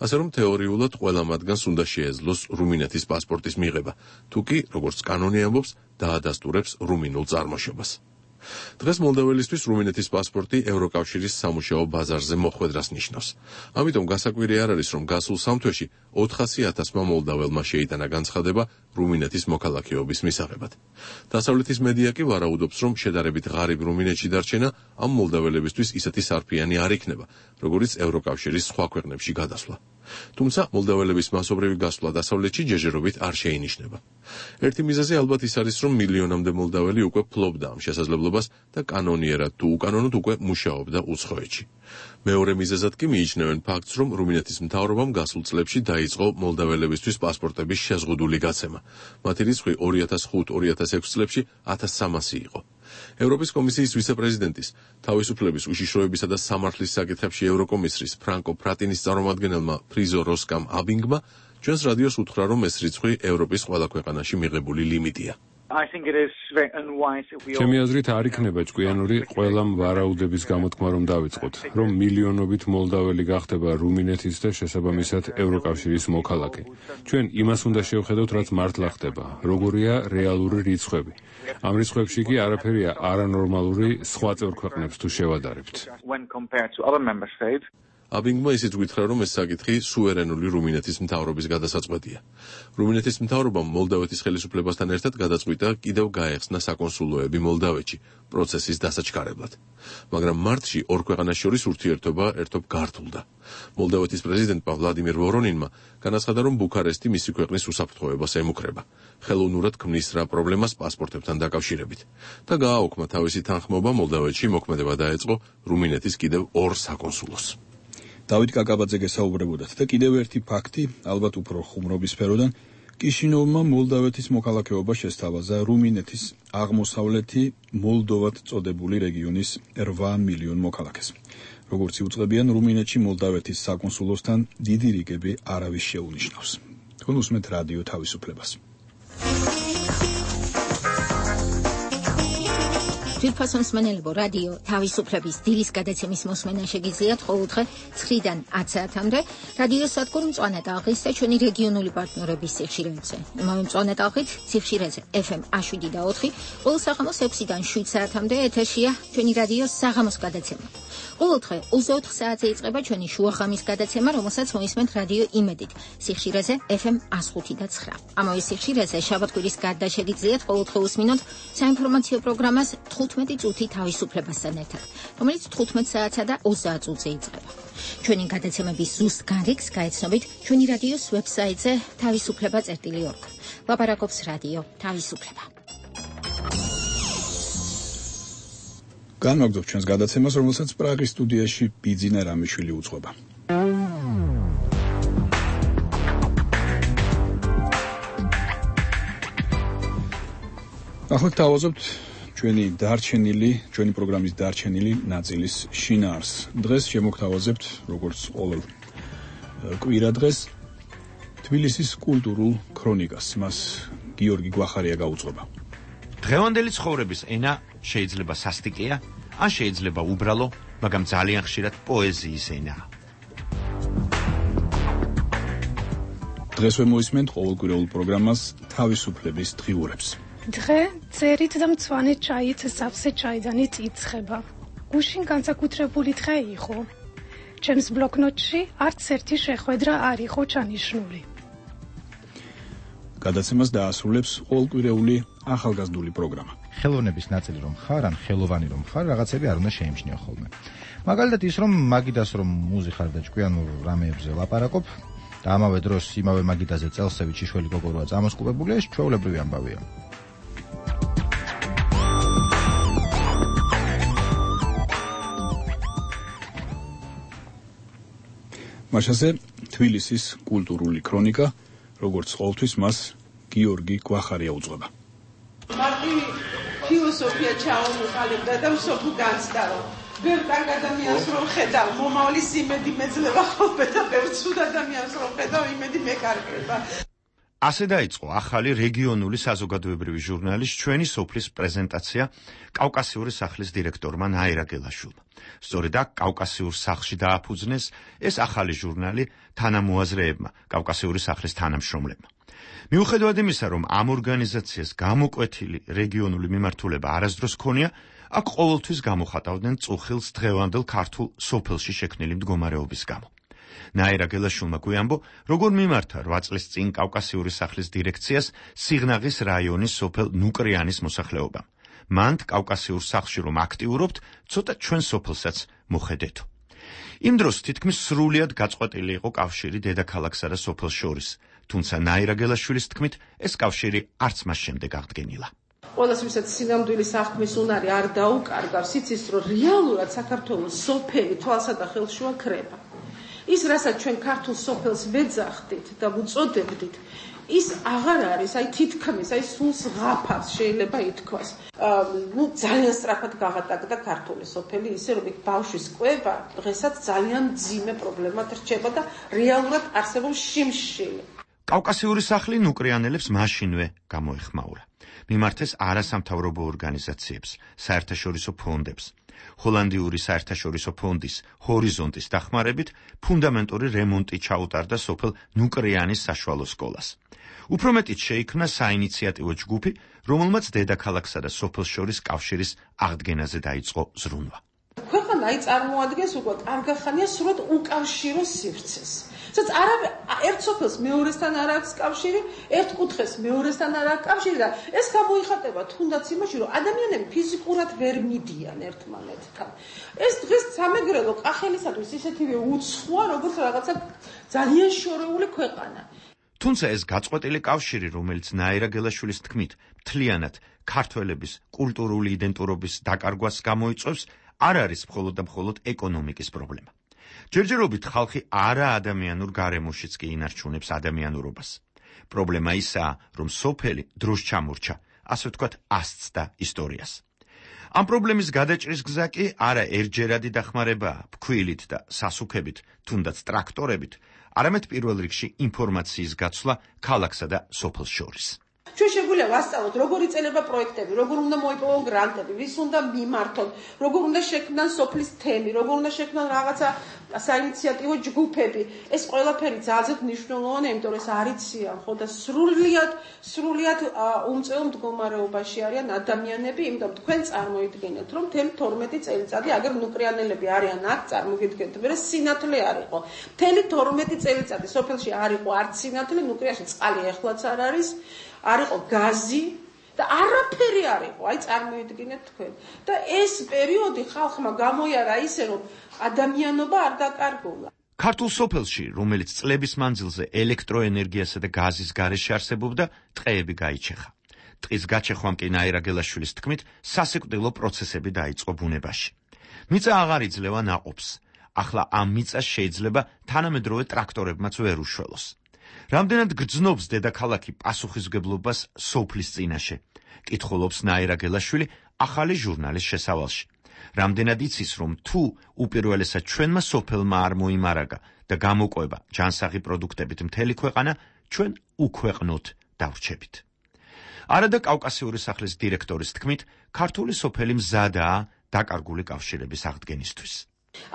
S2: ასე რომ თეორიულად ყველა მათგანს უნდა შეეძლოს რუმინეთის პასპორტის მიღება, თუ კი, როგორც კანონი ამბობს, დაადასტურებს რუმინულ წარმოშობას. დღეს მოლდაველისთვის რუმინეთის პასპორტი ევროკავშირის სამუშაო ბაზარზე მოხვედრას ნიშნავს. ამიტომ გასაკვირი არ არის, რომ გასულ სამთვეში 400,000-მა მოლდაველმა შეიტანა განცხადება რუმინეთის მოქალაქეობის მისაღებად. დასავლეთის მედია კი ვარაუდობს, რომ შედარებით ღარიბ რუმინეთში დარჩენა ამ მოლდაველებისთვის ისეთი სარფიანი არ იქნება, როგორც ევროკავშირის სხვა ქვეყნებში გადასვლა. თუმცა მოლდაველების მასობრივი გასვლა დასავლეთში ჯერჯერობით არ შეინიშნება. ერთი მიზეზი ალბათ ის არის, რომ მილიონამდე მოლდაველი უკვე ფლობდა ამ შესაძლებლობას და კანონიერად თუ უკანონოდ უკვე მუშაობდა უცხოეთში. მეორე მიზეზად კი მიიჩნევენ ფაქტს, რომ რუმინეთის მთავრობამ გასულ წლებში დაიწყო მოლდაველებისთვის პასპორტების შეზღუდული გაცემა. მათი რიცხვი 2005-2006 წლებში 1300 იყო. ევროპის კომისიის ვიცე-პრეზიდენტის, თავისუფლების, უშიშროებისა და სამართლის საკითხებში ევროკომისრის ფრანკო ფრატინის წარმომადგენელმა ფრიზო როსკამ აბინგმა ჩვენს რადიოს უთხრა, რომ ეს რიცხვი ევროპის ყველა ქვეყანაში მიღებული ლიმიტია.
S15: ჩემი აზრით არ იქნება ჭკვიანური ყველამ ვარაუდების გამოთქმა რომ დავიწყოთ, რომ მილიონობით მოლდაველი გახდება რუმინეთის და შესაბამისად ევროკავშირის მოქალაქე. ჩვენ იმას უნდა შევხედოთ, რაც მართლა ხდება, როგორია რეალური რიცხვები. ამ რიცხვებში კი არაფერია არანორმალური სხვა წევრ ქვეყნებს თუ შევადარებთ.
S2: აბინგმა ისიც გითხრა, რომ ეს საკითხი სუვერენული რუმინეთის მთავრობის გადასაწყვეტია. რუმინეთის მთავრობამ მოლდავეთის ხელისუფლებასთან ერთად გადაწყვიტა კიდევ გაეხსნა საკონსულოები მოლდავეთში პროცესის დასაჩქარებლად. მაგრამ მარტში ორ ქვეყანას შორის ურთიერთობა ერთობ გართულდა. მოლდავეთის პრეზიდენტმა ვლადიმირ ვორონინმა განაცხადა, რომ ბუქარესტი მისი ქვეყნის უსაფრთხოებას ემუქრება, ხელოვნურად ქმნის რა პრობლემას პასპორტებთან დაკავშირებით და გააუქმა თავისი თანხმობა მოლდავეთში მოქმედება დაეწყო რუმინეთის კიდევ ორ საკონსულოს.
S1: დავით კაკაბაძე გესაუბრებოდათ და კიდევ ერთი ფაქტი, ალბათ უფრო ხუმრობის სფეროდან, კიშინოვმა მოლდავეთის მოქალაქეობა შესთავაზა რუმინეთის აღმოსავლეთი მოლდოვად წოდებული რეგიონის 8 მილიონ მოქალაქეს. როგორც იუწყებიან, რუმინეთში მოლდავეთის საკონსულოსთან დიდი რიგები არავის შეუნიშნავს. თქვენ უსმენთ რადიო თავისუფლებას.
S14: ძვირფასონ მსმენელებო, რადიო თავისუფლების დილის გადაცემის მოსმენა შეგიძლიათ ყოველდღე 9-დან 10 საათამდე რადიო სადგურ მწვანე ტალღის და ჩვენი რეგიონული პარტნიორების სიხშირეებზე. იმავე მწვანე ტალღით სიხშირეზე FM 7 ყოველ საღამოს 6-დან 7 საათამდე ეთერშია ჩვენი რადიოს საღამოს გადაცემა. ყოველდღე 24 საათზე იწყება ჩვენი შუახამის გადაცემა, რომელსაც მოისმენთ რადიო იმედით სიხშირეზე FM 105 და 9. ამავე სიხშირეზე შაბათ-კვირის გარდა შეგიძლიათ ყოველდღე უსმინოთ საინფორმაციო პროგრამას 15 წუთი თავისუფლებასთან ერთად, რომელიც 15 საათსა და 30 წუთზე იწყება. ჩვენი გადაცემების ზუსტ გარიგს გაეცნობით ჩვენი რადიოს ვებსაიტზე თავისუფლება.org. ლაპარაკობს რადიო თავისუფლება.
S1: განვაგრძობ ჩვენს გადაცემას, რომელსაც პრაღის სტუდიაში ბიძინა რამიშვილი უძღვება. ახლა თავაზობთ ჩვენი პროგრამის დარჩენილი ნაწილის შინაარს. დღეს შემოგთავაზებთ, როგორც ყოველ კვირა დღეს, თბილისის კულტურულ ქრონიკას. მას გიორგი გვახარია გაუძღვება.
S16: დღევანდელი ცხოვრების ენა შეიძლება სასტიკია, ან შეიძლება უბრალო, მაგრამ ძალიან ხშირად პოეზიის ენაა.
S1: დღესვე მოისმენთ ყოველკვირეულ პროგრამას თავისუფლების დღიურებს.
S17: დღე წერით და მწვანე ჩაით სავსე ჩაიდანით იცხება. გუშინ განსაკუთრებული დღე იყო. ჩემს ბლოკნოტში არც ერთი შეხვედრა არ იყო ჩანიშნული.
S1: გადაცემას დაასრულებს ყოველკვირეული ახალგაზრდული პროგრამა.
S18: ხელოვნების ნაწილი რომ ხარ, ან ხელოვანი რომ ხარ, რაღაცები არ უნდა შეიმჩნიო ხოლმე. მაგალითად ის რომ მაგიდას რომ მუზი ხარ და ჭკვიანურ რამეებზე ლაპარაკობ და ამავე დროს იმავე მაგიდაზე წელსევით შიშველი გოგოროა წამოსკუპებული, ეს ჩვეულებრივი ამბავია.
S1: მაშასე თბილისის კულტურული ქრონიკა, როგორც ყოველთვის მას გიორგი გვახარია უძღვება.
S19: მარტი ფილოსოფია ჩაომოყალიბდა და მსოფლო განცდა. ბევრ კარგ ადამიანს რომ ხედავ, მომავლის იმედი მეძლება ხოლმე და ბევრ ცუდ ადამიანს რომ ხედავ, იმედი მეკარგება.
S16: ასე დაიწყო ახალი რეგიონული საზოგადოებრივი ჟურნალის ჩვენი სოფლის პრეზენტაცია კავკასიური სახლის დირექტორმა ნაირა გელაშვილმა. სწორედ აქ კავკასიურ სახლში დააფუძნეს ეს ახალი ჟურნალი თანამოაზრეებმა, კავკასიური სახლის თანამშრომლებმა. მიუხედავად იმისა, რომ ამ ორგანიზაციას გამოკვეთილი რეგიონული მიმართულება არასდროს ჰქონია, აქ ყოველთვის გამოხატავდნენ წუხილს დღევანდელ ქართულ სოფელში შექმნილი მდგომარეობის გამო. ნაირა გელაშვილმა გვიამბო, როგორ მიმართა 8 წლის წინ კავკასიური სახლის დირექციას სიღნაღის რაიონის სოფელ ნუკრიანის მოსახლეობამ. მანდ კავკასიურ სახლში რომ აქტიურობთ, ცოტა ჩვენ სოფელსაც მოხედეთო. იმ დროს თითქმის სრულიად გაწყვეტილი იყო კავშირი დედაქალაქსა და სოფელს შორის, თუმცა ნაირა გელაშვილის თქმით, ეს კავშირი არც მას შემდეგ აღდგენილა.
S19: ყველას ვისაც სინამდვილის აღქმის უნარი არ დაუკარგავს, იცის რომ რეალურად საქართველოს სოფელი თვალსა და ხელშუა ქრება. ის რასაც ჩვენ ქართულ სოფელს ვეძახდით და ვუწოდებდით, ის აღარ არის, თითქმის, სულს ღაფავს შეიძლება ითქვას. ძალიან სწრაფად გაღატაკდა ქართული სოფელი, ისე რომ ბავშვის კვება დღესაც ძალიან მძიმე პრობლემად რჩება და რეალურად არსებობს შიმშილი.
S16: კავკასიური სახლი ნუკრიანელებს მაშინვე გამოეხმაურა. მიმართეს არასამთავრობო ორგანიზაციებს, საერთაშორისო ფონდებს. ჰოლანდიური საერთაშორისო ფონდის ჰორიზონტის დახმარებით ფუნდამენტური რემონტი ჩაუტარდა სოფელ ნუკრიანის საშუალო სკოლას. უფრო მეტიც შეიქმნა საინიციატივო ჯგუფი, რომელმაც დედაქალაქსა და სოფელს შორის კავშირის აღდგენაზე დაიწყო ზრუნვა.
S19: ქვეყანა წარმოადგენს უკვე კარგახანია სრულად უკავშირო სივრცეს. სადაც ერთ სოფელს მეორესთან არ აქვს კავშირი, ერთ კუთხეს მეორესთან არ აქვს კავშირი და ეს გამოიხატება თუნდაც იმაში, რომ ადამიანები ფიზიკურად ვერ მიდიან ერთმანეთთან. ეს დღეს სამეგრელო კახელისათვის ისეთივე უცხოა, როგორც რაღაცა ძალიან შორეული ქვეყანა.
S16: თუმცა ეს გაწყვეტილი კავშირი, რომელიც ნაირა გელაშვილის თქმით, მთლიანად ქართველების კულტურული იდენტურობის დაკარგვას გამოიწვევს, არ არის მხოლოდ და მხოლოდ ეკონომიკის პრობლემა. ჯერჯერობით ხალხი არაადამიანურ გარემოშიც კი ინარჩუნებს ადამიანურობას. პრობლემა ისაა, რომ სოფელი დროს ჩამორჩა, ასე ვთქვათ, ასწდა ისტორიას. ამ პრობლემის გადაჭრის გზა კი არა ერთჯერადი დახმარებაა ფქვილით და სასუქებით, თუნდაც ტრაქტორებით, არამედ პირველ რიგში ინფორმაციის გაცვლა ქალაქსა და სოფელს შორის.
S19: ჩვენ შეგვიძლია ვასწავლოთ, როგორ იწყება პროექტები, როგორ უნდა მოიპოვონ გრანტები, ვის უნდა მიმართონ, როგორ უნდა შექმნან სოფლის თემი, როგორ უნდა შექმნან რაღაცა საინიციატივო ჯგუფები. ეს ყველაფერი ძალიან მნიშვნელოვანია, იმიტომ რომ ეს არიციან, ხო და სრულიად უმწვევ მდგომარეობაში არიან ადამიანები, იმიტომ თქვენ წარმოიდგინეთ, რომ მთელი 12 წელიწადი აგერ ნუკრიანელები არიან აქ, წარმოგიდგენთ, მე სინათლე არ იყო. მთელი 12 წელიწადი სოფელში არ იყო არც სინათლე, ნუკრიაში წყალი ეხლაც არ არის. არ იყო გაზი და არაფერი არ იყო, წარმოიდგინეთ თქვენ. და ეს პერიოდი ხალხმა გამოიარა ისე, რომ ადამიანობა არ დაკარგულა.
S16: ქართულ სოფელში, რომელიც წლების მანძილზე ელექტროენერგიასა და გაზის გარეშე არსებობდა, ტყეები გაიჩეხა. ტყის გაჩეხვამ კი ნაირა გელაშვილის თქმით, სასიკვდილო პროცესები დაიწყო ბუნებაში. მიწა აღარ იძლევა ნაყოფს. ახლა ამ მიწას შეიძლება თანამედროვე ტრაქტორებმაც ვერ უშველოს. რამდენად გრძნობს დედაქალაქი პასუხისმგებლობას სოფლის წინაშე? კითხულობს ნაირა გელაშვილი ახალი ჟურნალის შესავალში. რამდენად იცის, რომ თუ უპირველესად ჩვენმა სოფელმა არ მოიმარაგა და გამოყვება ჯანსაღი პროდუქტებით მთელი ქვეყანა, ჩვენ უქვეყნოთ დავრჩებით. არადა კავკასიური სახლის დირექტორის თქმით, ქართული სოფელი მზადაა დაკარგული კავშირების აღდგენისთვის.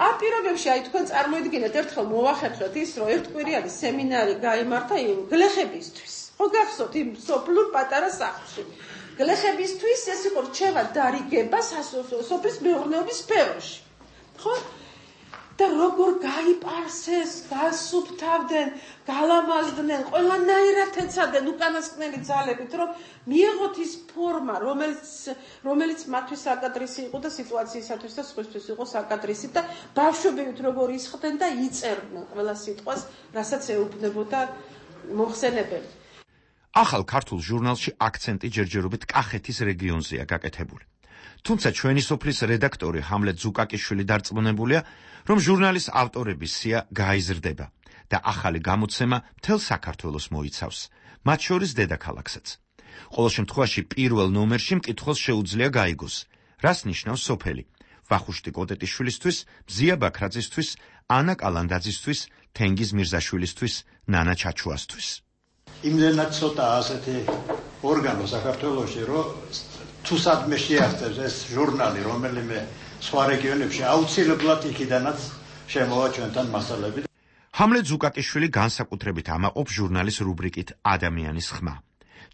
S19: ამ პირობებში თქვენ წარმოიდგინეთ, ერთხელ მოვახერხეთ ის, რომ ერთკვირიანი სემინარი გაიმართა გლეხებისთვის. ხო გახსოვთ იმ სოფლურ პატარა სახლში. გლეხებისთვის ეს იყო რჩევა დარიგება სოფლის მეურნეობის სფეროში. ხო? და როგორ გაიპარსეს, გასუფთავდნენ, გალამაზდნენ, ყველანაირად ეცადნენ უკანასკნელი ძალებით, რომ მიიღოთ ის ფორმა, რომელიც მათთვის საკადრისი იყო და სიტუაციისათვის და სხვისთვის იყო საკადრისი და ბავშვებივით როგორ ისხდნენ და იწერდნენ ყველა სიტყვას, რასაც ეუბნებოდა მოხსენებელი.
S16: ახალ ქართულ ჟურნალში აქცენტი ჯერჯერობით კახეთის რეგიონზეა გაკეთებული. თუმცა ჩვენი სოფლის რედაქტორი ჰამლეტ ზუკაკიშვილი დარწმუნებულია, რომ ჟურნალის ავტორების სია გაიზრდება და ახალი გამოცემა მთელ საქართველოს მოიცავს, მათ შორის დედაქალაქსაც. ყოველ შემთხვევაში პირველ ნომერში მკითხველს შეუძლია გაიგოს, რას ნიშნავს სოფელი, ვახუშტი კოტეტიშვილისთვის, მზია ბაქრაძისთვის, ანა კალანდაძისთვის, თენგიზ მირზაშვილისთვის, ნანა ჩაჩუასთვის.
S20: იმდენად ცოტა ასეთი ორგანო საქართველოში, რომ თუ სადმე შეაღწევს ეს ჟურნალი რომელიმე სხვა რეგიონებში აუცილებლად იქიდანაც შემოვა ჩვენთან მასალები.
S16: ჰამლეტ ზუკაკიშვილი განსაკუთრებით ამაყობს ჟურნალის რუბრიკით ადამიანის ხმა.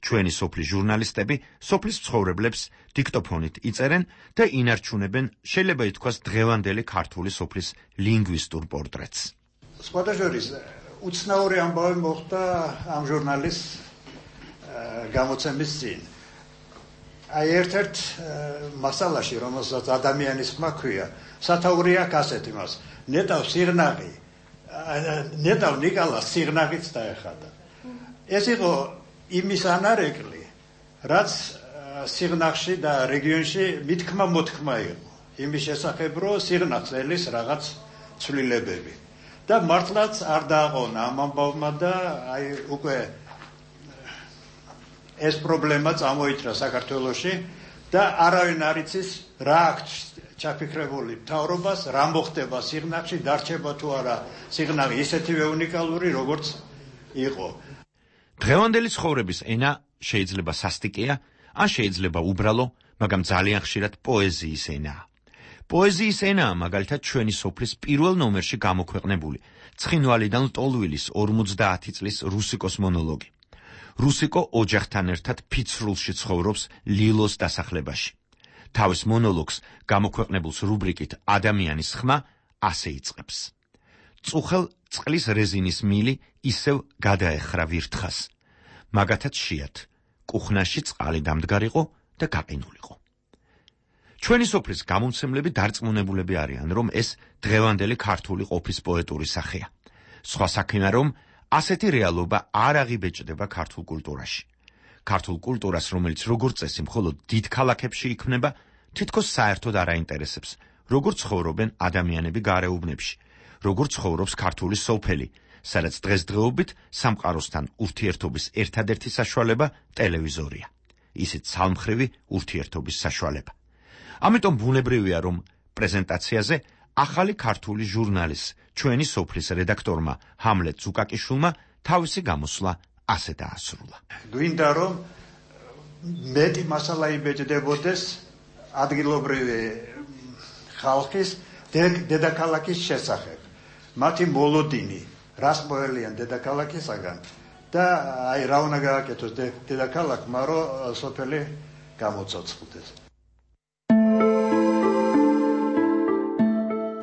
S16: ჩვენი სოფლის ჟურნალისტები სოფლის მცხოვრებლებს დიქტოფონით იწერენ და ინარჩუნებენ შეიძლება ითქვას დღევანდელი ქართული სოფლის ლინგვისტურ პორტრეტს.
S20: სხვადასხვა უცნაური ამბავი მოხდა ამ ჟურნალის გამოცემის წინ. აი ერთ-ერთ მასალაში, რომელსაც ადამიანის ხმა ქვია, სათაური აქვს ასეთი მას. ნეტავ სიღნაღი, ნეტავ ნიკალას სიღნაღიც დაეხადა. ეს იყო იმის ანარეკლი, რაც სიღნაღში და რეგიონში მithქმა მოთქმა იყო. იმის შესახებ, რომ სიღნაღს ელის რაღაც ცვლილებები. და მართლაც არ დააყონა ამ ამბავმა და აი უკვე ეს პრობლემა წამოიჭრა საქართველოში და არავინ არ იცის რა აქვს ჩაფიქრებული მთავრობას, რა მოხდება სიღნაღში, დარჩება თუ არა სიღნაღი ისეთივე უნიკალური, როგორც იყო.
S16: დღევანდელი ცხოვრების ენა შეიძლება სასტიკია, ან შეიძლება უბრალო, მაგრამ ძალიან ხშირად პოეზიის ენაა. პოეზიის ენაა მაგალითად ჩვენი სოფლის პირველ ნომერში გამოქვეყნებული ცხინვალიდან ლტოლვილის 50 წლის რუსიკოს მონოლოგი. რუსიკო ოჯახთან ერთად ფიცრულში ცხოვრობს ლილოს დასახლებაში. თავის მონოლოგს გამოქვეყნებულს რუბრიკით ადამიანის ხმა ასე იწყებს. წუხელ წყლის რეზინის მილი ისევ გადაეხრა ვირთხას. მაგათაც შეათ, კუხნაში წყალი დამდგარიყო და გაყინულიყო. ჩვენი სოფლის გამომცემლები დარწმუნებულები არიან, რომ ეს დღევანდელი ქართული ყოფის პოეტური სახეა. სხვა საქმეა, რომ ასეთი რეალობა არ აღიბეჭდება ქართულ კულტურაში. ქართულ კულტურას, რომელიც როგორც წესი მხოლოდ დიდ ქალაქებში იქმნება, თითქოს საერთოდ არ აინტერესებს, როგორ ცხოვრობენ ადამიანები გარეუბნებში, როგორ ცხოვრობს ქართული სოფელი, სადაც დღესდღეობით სამყაროსთან ურთიერთობის ერთადერთი საშუალება ტელევიზორია. ისიც ცალმხრივი ურთიერთობის საშუალება. ამიტომ ბუნებრივია, რომ პრეზენტაციაზე ახალი ქართული ჟურნალის ჩვენი სოფლის რედაქტორმა ჰამლეტ ზუკაკიშვილმა თავისი გამოსვლა ასე დაასრულა.
S20: გვინდა რომ მეტი მასალა იბეჭდებოდეს ადგილობრივი ხალხის დედაქალაქის შესახებ. მათი მოლოდინი, რას მოელიან დედაქალაქისაგან და აი რა უნდა გააკეთოს დედაქალაქმა, რომ სოფელი გამოცოცხლდეს.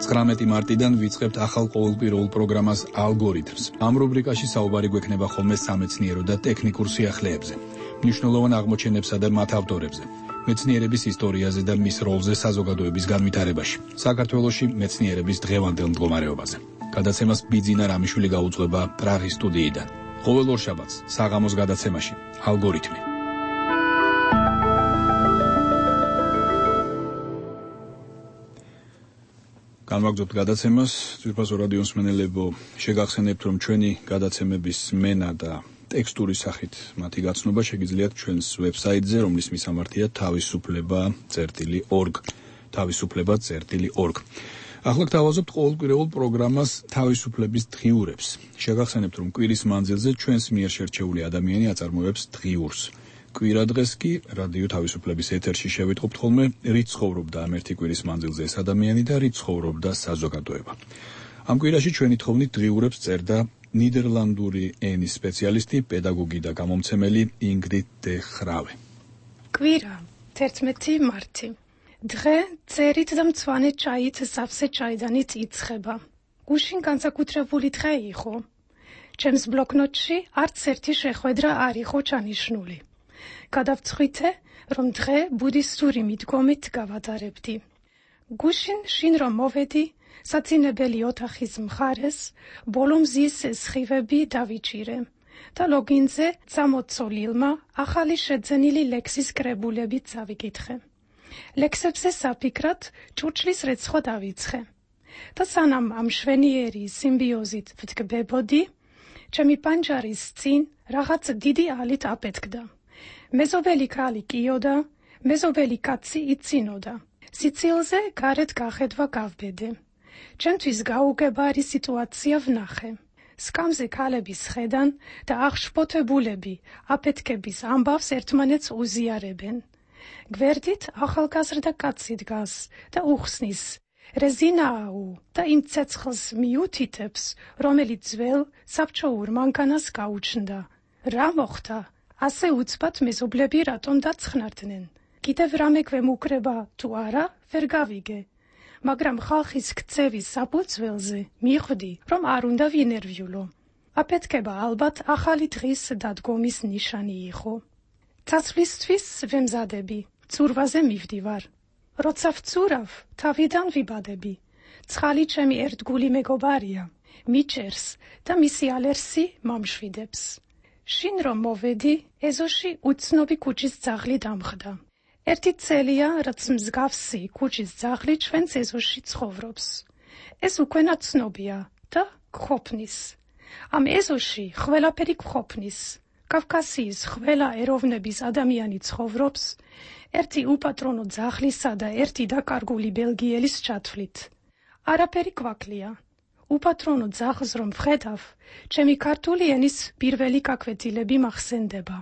S1: 19 მარტიდან ვიწყებთ ახალ ყოველკვირეულ პროგრამას ალგორითმს. ამ რუბრიკაში საუბარი გვექნება ხოლმე სამეცნიერო და ტექნიკურ სიახლეებზე, მნიშვნელოვან აღმოჩენებსა და მათ ავტორებზე, მეცნიერების ისტორიაზე და მის როლზე საზოგადოების განვითარებაში, საქართველოში მეცნიერების დღევანდელ მდგომარეობაზე. გადაცემას ბიძინა რამიშვილი გაუძღვება პრაღის სტუდიიდან. ყოველ ორშაბათს საღამოს გადაცემაში ალგორითმი. განვაგრძობთ გადაცემას. ძვირფასო რადიო მსმენელებო, შეგახსენებთ, რომ ჩვენი გადაცემების სმენა და ტექსტური სახით მათი გაცნობა შეგიძლიათ ჩვენს ვებსაიტზე, რომლის მისამართია თავისუფლება.org. თავისუფლება.org. ახლა გთავაზობთ ყოველკვირეულ პროგრამას თავისუფლების დღიურებს. შეგახსენებთ, რომ კვირის მანძილზე ჩვენს მიერ შერჩეული ადამიანი აწარმოებს დღიურს. კვირა დღეს კი რადიო თავისუფლების ეთერში შევიტყობთ ხოლმე რით ცხოვრობდა ამ ერთი კვირის მანძილზე ეს ადამიანი და რით ცხოვრობდა საზოგადოება. ამ კვირაში ჩვენი თხოვნით დღიურებს წერდა ნიდერლანდური ენის სპეციალისტი, პედაგოგი და გამომცემელი ინგრიდ დე ხრავე.
S17: კვირა 11 მარტი. დღე წერით და მწვანე ჩაით სავსე ჩაიდანით იცხება. გუშინ განსაკუთრებული დღე იყო. ჩემს ბლოკნოტში არც ერთი შეხვედრა არ იყო ჩანიშნული. გადავწყვიტე, რომ დღე ბუდისტური მიდგომით გავატარებდი. გუშინ შინ რომ მოვედი, საწინებელი ოთახის მხარეს, ბოლომზის სხივები დავიჭირე და ლოგინზე წამოცოლილმა ახალი შეძენილი ლექსის კრებულებით წავიკითხე. ლექსებზე საფიქრად ჭურჭლის რეცხვა დავიცხე. და სანამ ამ მშვენიერი სიმბიოზით ვდგებოდი, ჩემი პანჯარის წინ რაღაც დიდი ალით აპეთქდა. მეზობელი ქალი კიოდა, მეზობელი კაცი იცინოდა. სიცილზე გარეთ გახედვა გავბედე. ჩემთვის გაუგებარი სიტუაცია ვნახე. სკამზე ქალების ხედან და აღშფოთებულები აფეთქების ამბავს ერთმანეთს უზიარებენ. გვერდით ახალგაზრდა კაცი დგას და უხსნის რეზინაუ და იმ ცეცხლს მიუთითებს, რომელიც ძველ საბჭოურ მანქანას გაუჩნდა. რა მოხდა? ასე უცბად მეზობლები რატომ დაცხნარდნენ? კიდევ რამე გვემუქრება თუ არა, ვერ გავიგე. მაგრამ ხალხის ქცევის საფუძველზე მიხვდი, რომ არ უნდა ვინერვიულო. აფეთქება ალბათ ახალი დღის დადგომის ნიშანი იყო. ცაცვლისთვის ვემზადები, ცურვაზე მივდივარ. როცა ვცურავ, თავიდან ვიბადები. ცხალი ჩემი ერთგული მეგობარია, მიჭერს და მისი ალერსი მომშვიდებს. შინ რომ მოვედი, ეზოში უცნობი ქუჩის ძაღლი დამხდა. ერთი წელია, რაც მსგავსი ქუჩის ძაღლი ჩვენს ეზოში ცხოვრობს. ეს უკვე ნაცნობია და გხოფნის. ამ ეზოში ყველაფერი გხოფნის. კავკასიის ყველა ეროვნების ადამიანი ცხოვრობს, ერთი უპატრონო ძაღლისა და ერთი დაკარგული ბელგიელის ჩათვლით. არაფერი გვაკლია. უპატრონო ძაღლს რომ ვხედავ, ჩემი ქართული ენის პირველი გაკვეთილები მახსენდება.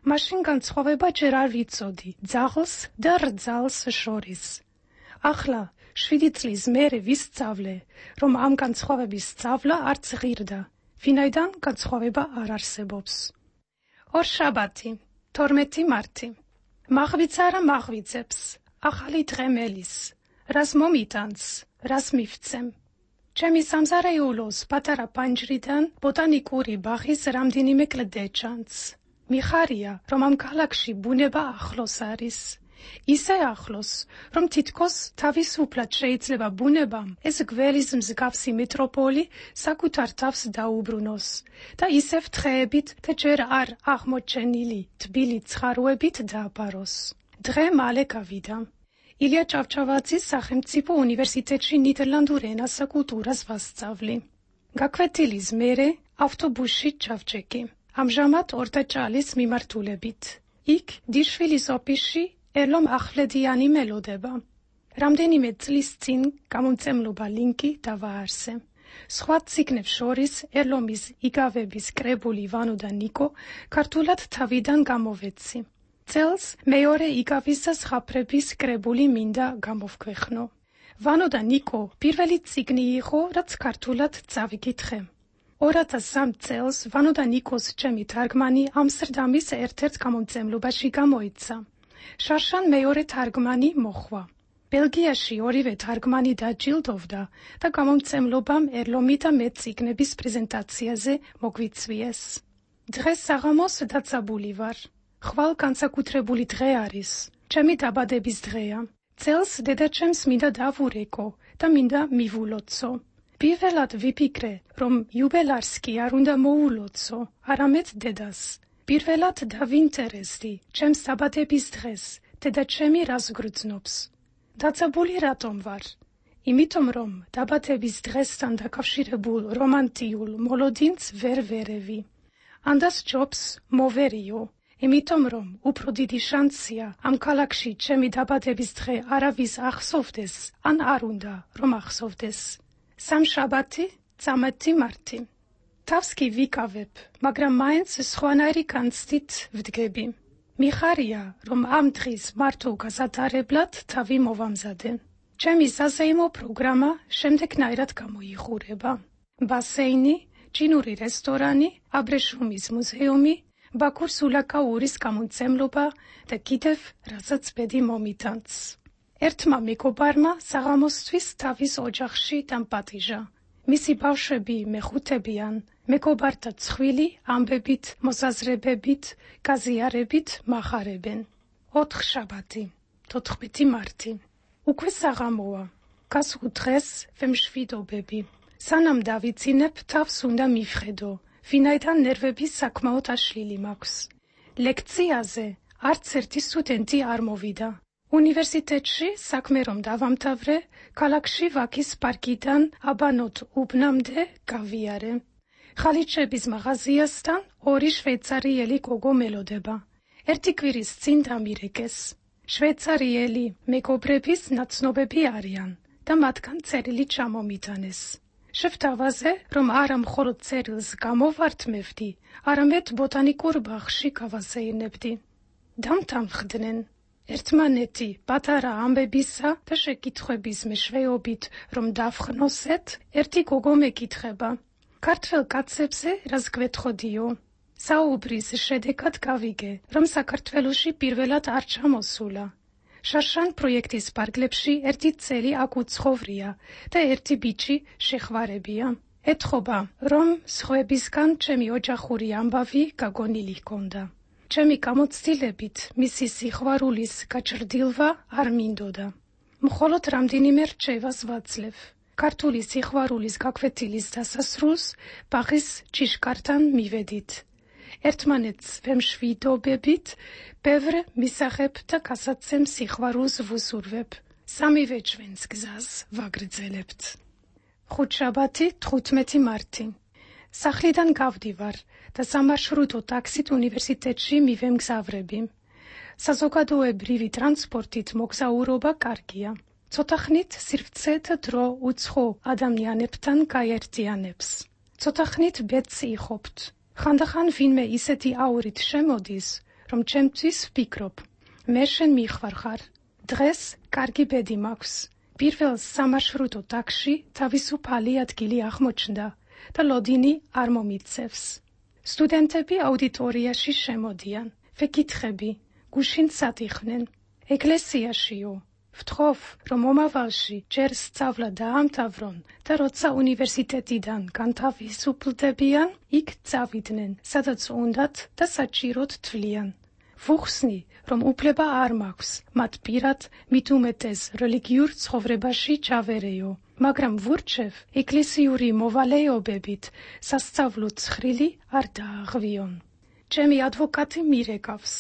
S17: მაშინ განსხვავება ჯერ არ ვიცოდი ძაღლს და რძალს შორის. ახლა 7 წლის მერე ვისწავლე, რომ ამ განსხვავების სწავლა არც ღირდა, ვინაიდან განსხვავება არ არსებობს. ორშაბათი, 12 მარტი. მაღვიძარა მაღვიძებს, ახალი დღე მელის, რას მომიტანს, რას მივცემ. ჩემი სამზარეულოს პატარა პანჯრიდან ბოტანიკური ბაღის რამდენიმე კლდე ჩანს. მიხარია, რომ ამ ქალაქში ბუნება ახლოს არის. ისე ახლოს, რომ თითქოს თავისუფლად შეიძლება ბუნებამ ეს გველის მსგავსი მეტროპოლი საკუთარ თავს დაუბრუნოს და ისევ თხეებით და ჯერ არ აღმოჩენილი თბილი ცხაროებით დააბაროს. დღე მალე გავიდა. ილია ჭავჭავაძის სახელმწიფო უნივერსიტეტში ნიდერლანდურ ენასა კულტურას ვასწავლი. გაკვეთილის მერე ავტობუსში ჩავჭექი. ამჟამად ორდაჭალის მიმართულებით. იქ დირშვილის ოფისში ერლომ ახვლედიანი მელოდება. რამდენიმე წლის წინ გამომწემლობა ლინკი დავაარსე. სხვა ციგნებს შორის ერლომის იგავების კრებული ვანო და ნიკო ქართულად თავიდან გამოვეცი. წელს მეორე იგავის და ზღაპრების კრებული მინდა გამოვქვეხნო. ვანო და ნიკო პირველი ციგნი იყო, რაც ქართულად წავიკითხე. 2003 წელს ვანო და ნიკოს ჩემი თარგმანი ამსტერდამის ერთ-ერთ გამომწემლობაში გამოიცა. შარშან მეორე თარგმანი მოხვა. ბელგიაში ორივე თარგმანი დაჯილდოვდა და გამომწემლობამ ერლომი და მე ციგნების პრეზენტაციაზე მოგვიწვიეს. დღეს საღამოს დაწაბული ვარ. ხვალ განსაკუთრებული დღე არის. ჩემი დაბადების დღეა. წელს დედაჩემს მინდა დავურეკო და მინდა მივულოცო. პირველად ვიფიქრე, რომ იუბილარს კი არ უნდა მოულოცო, არამედ დედას. პირველად დავინტერესდი ჩემს დაბადების დღეს, დედაჩემი რას გრძნობს. დაწაბული რატომ ვარ? იმიტომ რომ დაბადების დღესთან დაკავშირებულ რომანტიულ მოლოდინს ვერ ვერევი. ანდას ჯობს მოვერიო. იმიტომ რომ უფრო დიდი შანსია ამ ქალაქში ჩემი დაბადების დღე არავის ახსოვდეს, ან არ უნდა რომ ახსოვდეს. სამშაბათი, 13 მარტი. თავს კი ვიკავებ, მაგრამ მაინც სხვანაირი განცდით ვდგები. მიხარია, რომ ამ დღის მართო გასატარებლად თავი მოვამზადე. ჩემი საზეიმო პროგრამა შემდეგნაირად გამოიხურება. ბასეინი, ჩინური რესტორანი, აბრეშუმის მუზეუმი, ბაქურ სულაკაურის გამომწემლობა და კიდევ რასაც ბედი მომიტანს. ერთმა მეგობარმა საღამოსთვის თავის ოჯახში დამპატიჟა. მისი ბავშვები მეხუთებიან, მეგობართა ცხვილი ამბებით, მოსაზრებებით, გაზიარებით მახარებენ. 4 შაბათი, 14 მარტი. უკვე საღამოა. გასულ დღეს ვემშვიდობები. სანამ დავიცინებ, თავს უნდა მივხედო, ვინაიდან ნერვები საკმაოდ აშლილი მაქვს. ლექციაზე არც ერთი სტუდენტი არ მოვიდა. უნივერსიტეტში საქმე რომ დავამთავრე, ქალაქში ვაკის პარკიდან აბანოთ უბნამდე გავიარე. ხალიჩების მაღაზიასთან 2 შვეიცარიელი გოგო მელოდება. ერთი კვირის წინ დამირეკეს. შვეიცარიელი მეგობრების ნაცნობები არიან და მათგან წერილი ჩამომიტანეს. შევთავაზე, რომ არა მხოლოდ წერილს გამოვართმევდი, არამედ ბოტანიკურ ბაღში გავაზეინებდი. დამთანხმდნენ. ერთმანეთი პატარა ამბებისა და შეკითხვების მეშვეობით რომ დავხნოსეთ, ერთი გოგო მეკითხება. ქართველ კაცებზე რას გვეთხოვდიო? საუბრის შედეგად გავიგე, რომ საქართველოში პირველად არ ჩამოსულა. შარშან პროექტის პარკლებში ერთი წელი აქ უცხოვრია და ერთი ბიჭი შეხვარებია. ეთხოვა, რომ სხვებისგან ჩემი ოჯახური ამბავი გაგონილი ჰქონდა. ჩემი გამოცდილებით მისი სიყვარულის გაჩრდილვა არ მინდოდა. მხოლოდ რამდენიმე რჩევას ვაძლევ. ქართული სიყვარულის გაკვეთილის დასასრულს ბაღის ჭიშკართან მივედით. ერთმანეთს ვემშვიდობებით, ბევრ მისაღებ და გასაცემ სიყვარულს ვუსურვებ. სამივე ჩვენს გზას ვაგრძელებთ. ხუთშაბათი 15 მარტი. სახლიდან გავდივარ და სამარშრუტო ტაქსით უნივერსიტეტში მივემგზავრები. საზოგადოებრივი ტრანსპორტით მოგზაურობა კარგია. ცოტა ხნით სივრცე და დრო უცხო ადამიანებთან გაერთიანებს. ცოტა ხნით ბედს იხობთ. ხანდახან ვინმე ისეთი აურით შემოდის, რომ ჩემთვის ვფიქრობ, მე შენ მიხვალხარ. დღეს კარგი ბედი მაქვს. პირველ სამარშრუტო ტაქსში თავისუფალი ადგილი აღმოჩნდა და ლოდინი არ მომიცევს. სტუდენტები აუდიტორიაში შემოდიან. ვეკითხები, გუშინ სად იხნენ? ეკლესიაშიო. ვთხოვ, რომ მომავალში ჯერ სწავლა დაამთავრონ და როცა უნივერსიტეტიდან განთავისუფლდებიან, იქ წავიდნენ, სადაც უნდათ და საჭიროდ თვლიან. ვუხსნი, რომ უფლება არ მაქვს, მათ პირად მით უმეტეს რელიგიურ ცხოვრებაში ჩავერეო, მაგრამ ვურჩევ, ეკლესიური მოვალეობებით სასწავლო ცხრილი არ დააღვიონ. ჩემი ადვოკატი მირეკავს.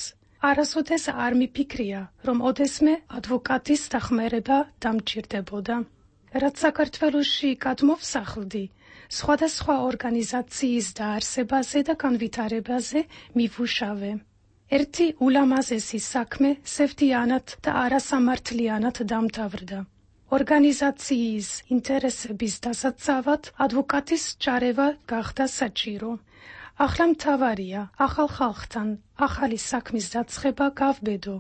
S17: არასოდეს არ მიფიქრია, რომ ოდესმე ადვოკატის დახმარება დამჭირდებოდა. რაც საქართველოში გადმოვსახლდი, სხვადასხვა ორგანიზაციის დაარსებაზე და განვითარებაზე მივუშავე. ერთი ულამაზესი საქმე სევდიანად და არასამართლიანად დამთავრდა. ორგანიზაციის ინტერესების დასაცავად ადვოკატის ჩარევა გახდა საჭირო. ახლა მთავარია ახალ ხალხთან ახალი საქმის დაწყება გავბედო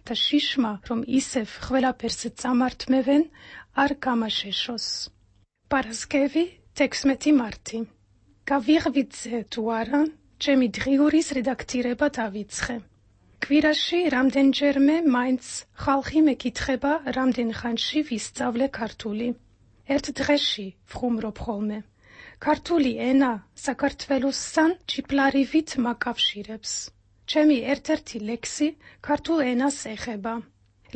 S17: და შიშმა, რომ ისევ ყველაფერს წამართმევენ, არ გამაშეშოს. პარასკევი 16 მარტი. გავიღვიძე თუ არა, ჩემი დღიურის რედაქტირება დავიწყე. კვირაში რამდენჯერმე მაინც ხალხი მეკითხება, რამდენ ხანში ვისწავლე ქართული. ერთ დღეში ვხუმრობ ხოლმე. ქართული ენა საქართველოსთან ჭიპლარივით მაკავშირებს. ჩემი ერთ-ერთი ლექსი ქართულ ენას ეხება.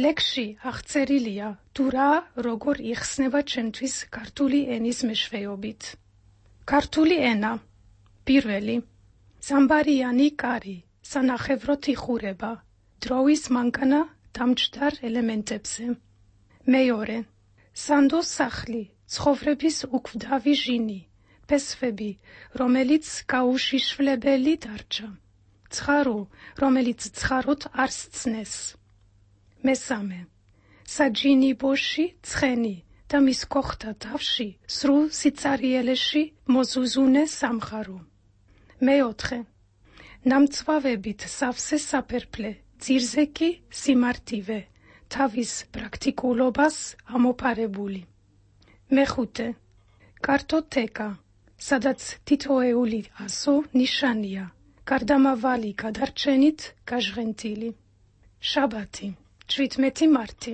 S17: ლექსში აღწერილია, თუ რა როგორ იხსნება ჩემთვის ქართული ენის მეშვეობით. ქართული ენა. პირველი. ზამბარიანი კარი, სანახევროდ იხურება, დროის მანქანა დამჯდარ ელემენტებზე. მეორე. სანდო სახლი, ცხოვრების უკვდავი ჟინი, ფესვები, რომელიც გაუშიშვლებელი დარჩა. ცხარო, რომელიც ცხაროთ არ სცნეს. მესამე. საჯინიბოში ცხენი და მის კოხთა თავში სრულ სიცარიელეში მოზუზუნე სამხარო. მეოთხე. ნამცვავებით სავსე საფერფლე, ძირზე კი სიმართივე, თავის პრაქტიკულობას ამოფარებული. მეხუთე. კარტოტეკა, სადაც თითოეული ასო ნიშანია, გარდამავალი გადარჩენით გაჟღენთილი. შაბათი, 17 მარტი.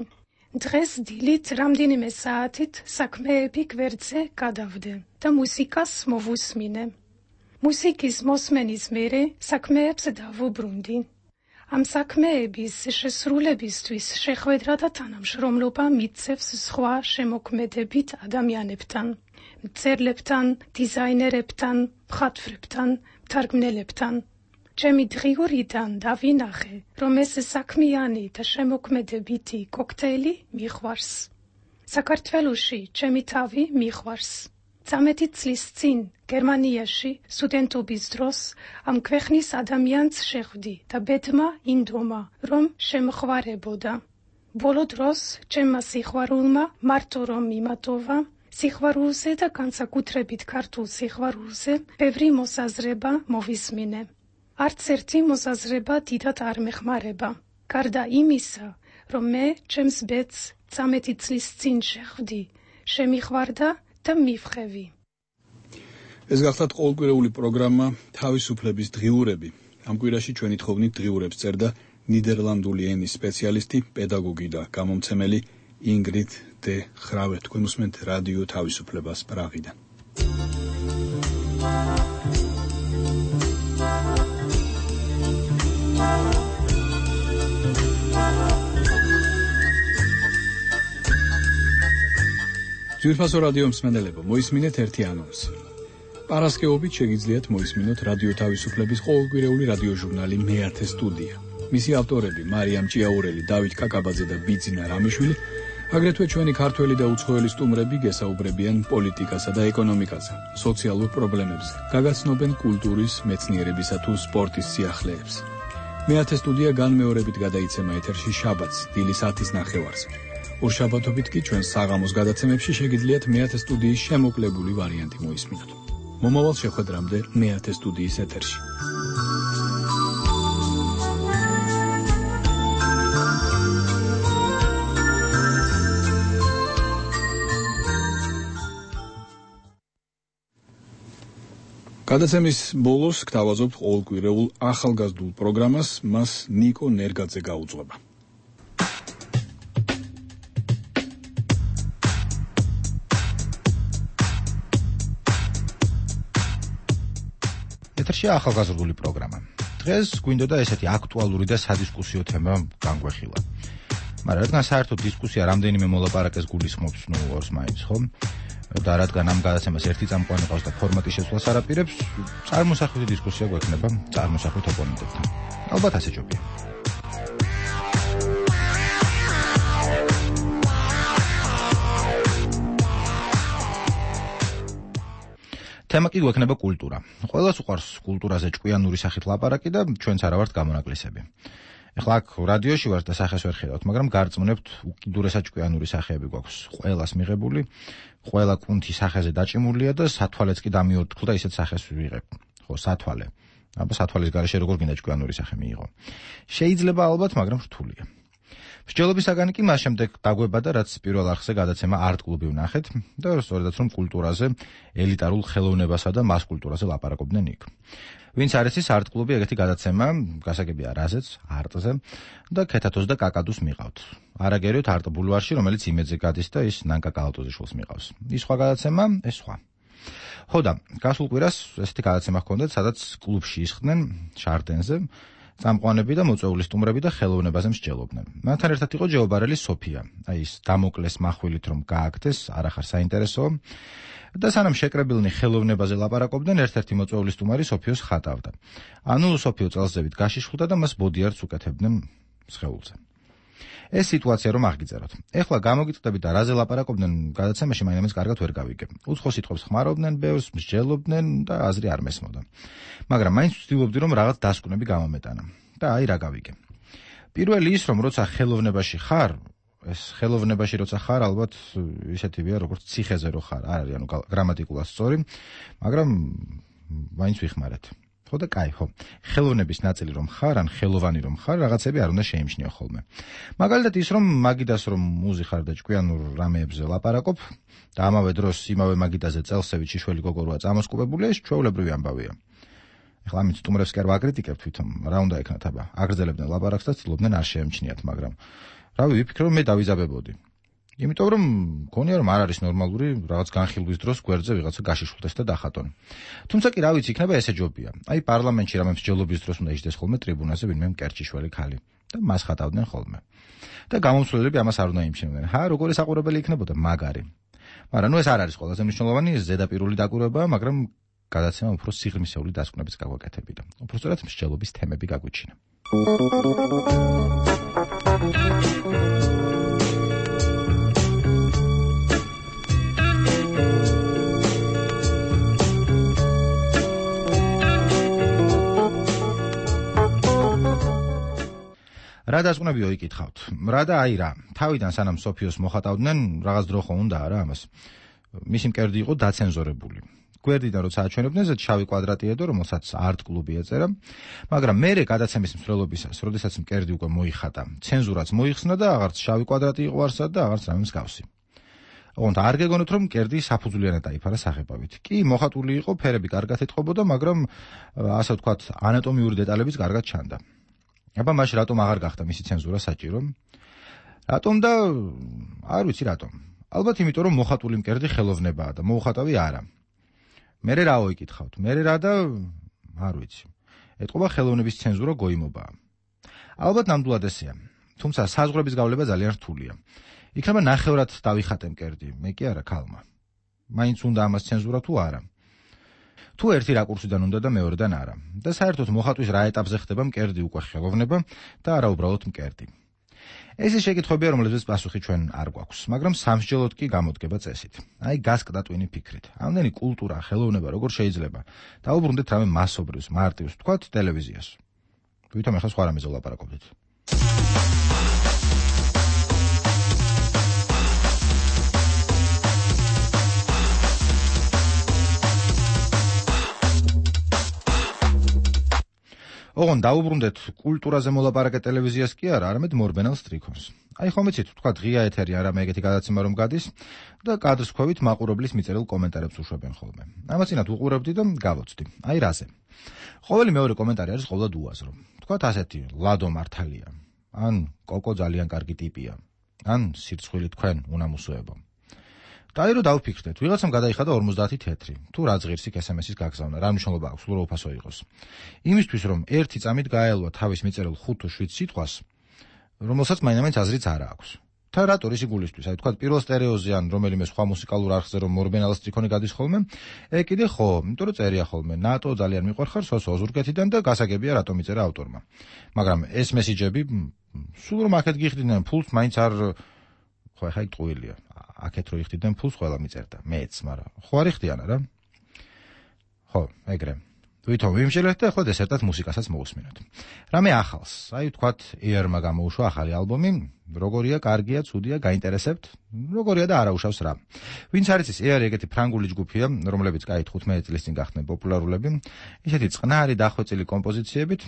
S17: დღეს დილით რამდენიმე საათით საქმეები გვერდზე გადავდე და მუსიკას მოვუსმინე. მუსიკის მოსმენის მერე საქმეებს დავუბრუნდი. ამ საქმეების შესრულებისთვის შეხვედრა და თანამშრომლობა მიცევს სხვა შემოქმედებით ადამიანებთან, მწერლებთან, დიზაინერებთან, მხატვრებთან, მთარგმნელებთან. ჩემი დღიურიდან დავინახე, რომ ეს საქმიანი და შემოქმედებითი კოქტეილი მიყვარს. საქართველოში ჩემი თავი მიყვარს. 13 წლის წინ გერმანიაში სტუდენტობის დროს ამ ქვეყნის ადამიანს შეხვდი და ბედმა ინდომა, რომ შემხვარებოდა. ბოლო დროს ჩემმა სიყვარულმა მარტო რომ მიმატოვა, სიყვარულზე და განსაკუთრებით ქართულ სიყვარულზე ბევრი მოსაზრება მოვისმინე. არც ერთი მოსაზრება დიდად არ მეხმარება. გარდა იმისა, რომ მე ჩემს ბედს 13 წლის წინ შეხვდი, შემიყვარდა და მივხევი.
S1: ეს გახლავთ ყოველკვირეული პროგრამა თავისუფლების დღიურები. ამ კვირაში ჩვენი თხოვნით დღიურებს წერდა ნიდერლანდული ენის სპეციალისტი, პედაგოგი და გამომცემელი ინგრიდ დე ხრავე. თქვენ უსმენთ რადიო თავისუფლებას პრაღიდან. ძვირფასო რადიო მსმენელებო, მოისმინეთ ერთი ანონსი. პარასკევობით შეგიძლიათ მოისმინოთ რადიო თავისუფლების ყოველკვირეული რადიო ჟურნალი მეათე სტუდია. მისი ავტორები მარიამ ჭიაურელი, დავით კაკაბაძე და ბიძინა რამიშვილი, აგრეთვე ჩვენი ქართველი და უცხოელი სტუმრები გესაუბრებიან პოლიტიკასა და ეკონომიკაზე, სოციალურ პრობლემებზე, გაგაცნობენ კულტურის, მეცნიერებისა თუ სპორტის სიახლეებს. მეათე სტუდია განმეორებით გადაიცემა ეთერში შაბათს, დილის 10:30-ზე. ორშაბათობით კი ჩვენ საღამოს გადაცემებში შეგიძლიათ მეათე სტუდიის შემოკლებული ვარიანტი მოისმინოთ. მომავალ შეხვედრამდე მეათე სტუდიის ეთერში. გადაცემის ბოლოს გთავაზობთ ყოველკვირეულ ახალგაზრდულ პროგრამას, მას ნიკო ნერგაძე გაუძღვება.
S18: ეთერში ახალგაზრდული პროგრამა. დღეს გვინდოდა ესეთი აქტუალური და სადისკუსიო თემა განგვეხილა. მაგრამ რადგან საერთოდ დისკუსია რამდენიმე მოლაპარაკეს გულისხმობს, ორს მაინც, ხო? და რადგან ამ გადაცემას ერთი წამყვანი ყავს და ფორმატი შეცვლას არ აპირებს, წარმოსახვითი დისკუსია გვექნება წარმოსახვით ოპონენტებთან. ალბათ ასე ჯობია. თემა კი გვექნება კულტურა. ყველას უყვარს კულტურაზე ჭკვიანური სახით ლაპარაკი და ჩვენც არა ვართ გამონაკლისები. ეხლა აქ რადიოში ვართ და სახეს ვერ ხედავთ, მაგრამ გარწმუნებთ უკიდურესად ჭკვიანური სახეები გვაქვს ყველას მიღებული, ყველა კუნთი სახეზე დაჭიმულია და სათვალეც კი დამიორთქლა ისეთ სახეს ვიღებ. ხო, სათვალე. აბა სათვალის გარეშე როგორ გინდა ჭკვიანური სახე მიიღო. შეიძლება ალბათ, მაგრამ რთულია. მსჯელობის საგანი კი მას შემდეგ დაგვება და რაც პირველ არხზე გადაცემა არტ კლუბი ვნახეთ და სწორედაც რომ კულტურაზე, ელიტარულ ხელოვნებასა და მას კულტურაზე ლაპარაკობდნენ იქ. ვინც არ იცის არტ კლუბი ეგეთი გადაცემა, გასაგებია რაზეც, არტზე და ქეთათოს და კაკადუს მიყავთ. არაგერიოთ არტ ბულვარში, რომელიც იმედზე გადის და ის ნანკა კალატოზიშვილს მიყავს. ის სხვა გადაცემა, ეს სხვა. ხო და გასულ კვირას ესეთი გადაცემა ჰქონდათ, სადაც კლუბში ისხდნენ შარდენზე წამყვანები და მოწვეული სტუმრები და ხელოვნებაზე მსჯელობდნენ. მათთან ერთად იყო ჯეობარელი სოფია. აი ის დამოკლეს מחვილით რომ გააკეთეს, არახარ საინტერესო და სანამ შეკრებილნი ხელოვნებაზე ლაპარაკობდნენ, ერთ-ერთი მოწვეული სტუმარი სოფიოს ხატავდა. ანუ სოფიო წელსძევით გაშიშხლდა და მას ბოდიარდს უკეთებდნენ სხეულზე. ეს სიტუაცია რომ აღგიწეროთ. ეხლა გამოგიტყდებით და რაზე ლაპარაკობდნენ გადაცემაში მაინც კარგად ვერ გავიგებ. უცხო სიტყვებს ხმარობდნენ, ბევრს მსჯელობდნენ და აზრი არ მესმოდა. მაგრამ მაინც ვცდილობდი რომ რაღაც დასკვნები გამომეტანა. და აი რა გავიგე. პირველი ის რომ როცა ხელოვნებაში ხარ, ეს ხელოვნებაში როცა ხარ, ალბათ ისეთივეა როგორც ციხეზე რო ხარ. არ არის ანუ გრამატიკულად სწორი, მაგრამ მაინც ვიხმარეთ. ხო და კაი, ხო. ხელოვნების ნაწილი რომ ხარ, ან ხელოვანი რომ ხარ, რაღაცები არ უნდა შეიმჩნიო ხოლმე. მაგალითად ის რომ მაგიდას რომ მუზი ხარ და ჭკვიანურ რამეებზე ლაპარაკობ და ამავე დროს იმავე მაგიდაზე წელსევით შიშველი გოგო როა წამოსკუბებული, ეს ჩვეულებრივი ამბავია. ეხლა ამით სტუმრებს კი არ ვაკრიტიკებ თვითონ, რა უნდა ეკნათ აბა. აგრძელებდნენ ლაპარაკს და ცდილობდნენ არ შეემჩნიათ, მაგრამ რავი, ვიფიქრე რომ მე დავიზაბებოდი. იმიტომ რომ მგონია რომ არ არის ნორმალური რაღაც განხილვის დროს გვერდზე ვიღაცა გაშიშვლდეს და დახატონ. თუმცა კი რა ვიცი, იქნება ესე ჯობია. აი პარლამენტში რამე მსჯელობის დროს უნდა იჯდეს ხოლმე ტრიბუნაზე ვინმე მკერჭიშველი ხალი და მას ხატავდნენ ხოლმე. და გამომცვლელები ამას არ უნდა იმჩნევდნენ. როგორი საყურებელი იქნებოდა მაგარი. მაგრამ ეს არ არის ყველაზე მნიშვნელოვანი, ეს ზედაპირული დაკვირვებაა, მაგრამ გადაცემა უფრო სიღრმისეული დასკვნებიც გაგვაკეთებია. უფრო სწორად მსჯელობის თემები გაგვიჩინა. რა დასკვნებიო იკითხავთ? რა და აი რა. თავიდან სანამ სოფიოს მოხატავდნენ, რაღაც დრო ხო უნდა არა ამას. მისი მკერდი იყო დაცენზორებული. გვერდიდან როცა აჩვენებდნენ, ზედ შავი კვადრატი ედო, რომელსაც არტ კლუბი ეწერა, მაგრამ მერე გადაცემის მსვლელობისას, როდესაც მკერდი უკვე მოიხატა, ცენზურაც მოიხსნა და აღარც შავი კვადრატი იყო არსად და აღარც რამე მსგავსი. ოღონდ არ გეგონოთ, რომ კერდი საფუძვლიანად დაიფარა საღებავით. კი, მოხატული იყო, ფერები კარგად ეთყობოდა, მაგრამ ასე ვთქვათ, ანატომიური დეტალებიც კარგად ჩანდა. აბა მაშინ რატომ აღარ გახდა მისი ცენზურა საჭირო? რატომ და არ ვიცი რატომ. ალბათ იმიტომ, რომ მოხატული მკერდი ხელოვნებაა და მოუხატავი არა. მერე რა ვიკითხავთ? მერე რა და არ ვიცი. ეთყობა ხელოვნების ცენზურა გოიმობაა. ალბათ ნამდვილად ესეა. თუმცა საზღვრების გავლება ძალიან რთულია. იქნება ნახევრად დავიხატე მკერდი, მე კი არა ქალმა. მაინც უნდა ამას ცენზურა თუ არა. თუ ერთი რაკურსიდან უნდა და მეორედან არა. და საერთოდ მოხატვის რა ეტაპზე ხდება მკერდი უკვე ხელოვნება და არა უბრალოდ მკერდი. ეს ის შეკითხვებია, რომლებზეც პასუხი ჩვენ არ გვაქვს, მაგრამ სამსჯელოდ კი გამოდგება წესით. აი გასკდა ტვინი ფიქრით. ამდენი კულტურა, ხელოვნება როგორ შეიძლება? დაუბრუნდეთ რამე მასობრივს, მარტივს, ვთქვათ, ტელევიზიას. ვითომ ახლა სხვა რამეზე ვლაპარაკობდით. ოღონ დაუბრუნდეთ კულტურაზე მოლაპარაკე ტელევიზიას კი არა, არამედ მორბენალ სტრიქონს. აი ხომ იცით, თქვა ღია ეთერი არა მე ეგეთი გადაცემა რომ გადის და კადრის ქვევით მაყურებლის მიწერილ კომენტარებს უშვებენ ხოლმე. ამას წინათ უყურებდი და გავოცდი. აი რაზე. ყოველი მეორე კომენტარი არის ყოველად უაზრო. თქვათ ასეთი, ლადო მართალია, ან კოკო ძალიან კარგი ტიპია, ან სირცხვილი თქვენ უნამუსოებო. დაირო დავფიქრდეთ, ვიღაცამ გადაიხადა 50 თეთრი. თუ რა ზღირს იქ SMS-ის გაგზავნა, რა მნიშვნელობა აქვს, სულ უფასო იყოს. იმისთვის რომ ერთი წამით გაელვა თავის მიწერილ 5 თუ 7 სიტყვას, რომელსაც მაინც აზრიც არ აქვს. და რატო ისი გულისთვის, აი თქვა პირველ სტერეოზე ან რომელიმე სხვა მუსიკალურ არხზე რომ მორბენალა სტრიქონი გადის ხოლმე, კიდე ხო, იმიტომ რომ წერია ხოლმე, ნატო ძალიან მიყვარხარ სოსო ზურგეთიდან და გასაგებია რატომ იწერა ავტორმა. მაგრამ ეს მესიჯები სულ რომ აქეთ გიხდიდნენ ფულს, მაინც არ ხო ხაი ტყუილია. აქეთ რო იხდიდნენ ფულს ყველა მიწერდა, მეც, მაგრამ ხო არ იხდიან არა? ხო, ეგრე. ვითომ ვიმშელეთ და ახლა დესერტად მუსიკასაც მოусმინოთ. რამე ახალს, აი ვთქვათ, ER-მა გამოუშვა ახალი ალბომი, როგორია, კარგია, ცუდია, გაინტერესებთ, როგორია და არაუშავს რა. ვინც არის ის ER ეგეთი ფრანგული ჯგუფია, რომლებიც კაი 15 წლის წინ გახდნენ პოპულარულები, ისეთი წყნარი დახვეწილი კომპოზიციებით.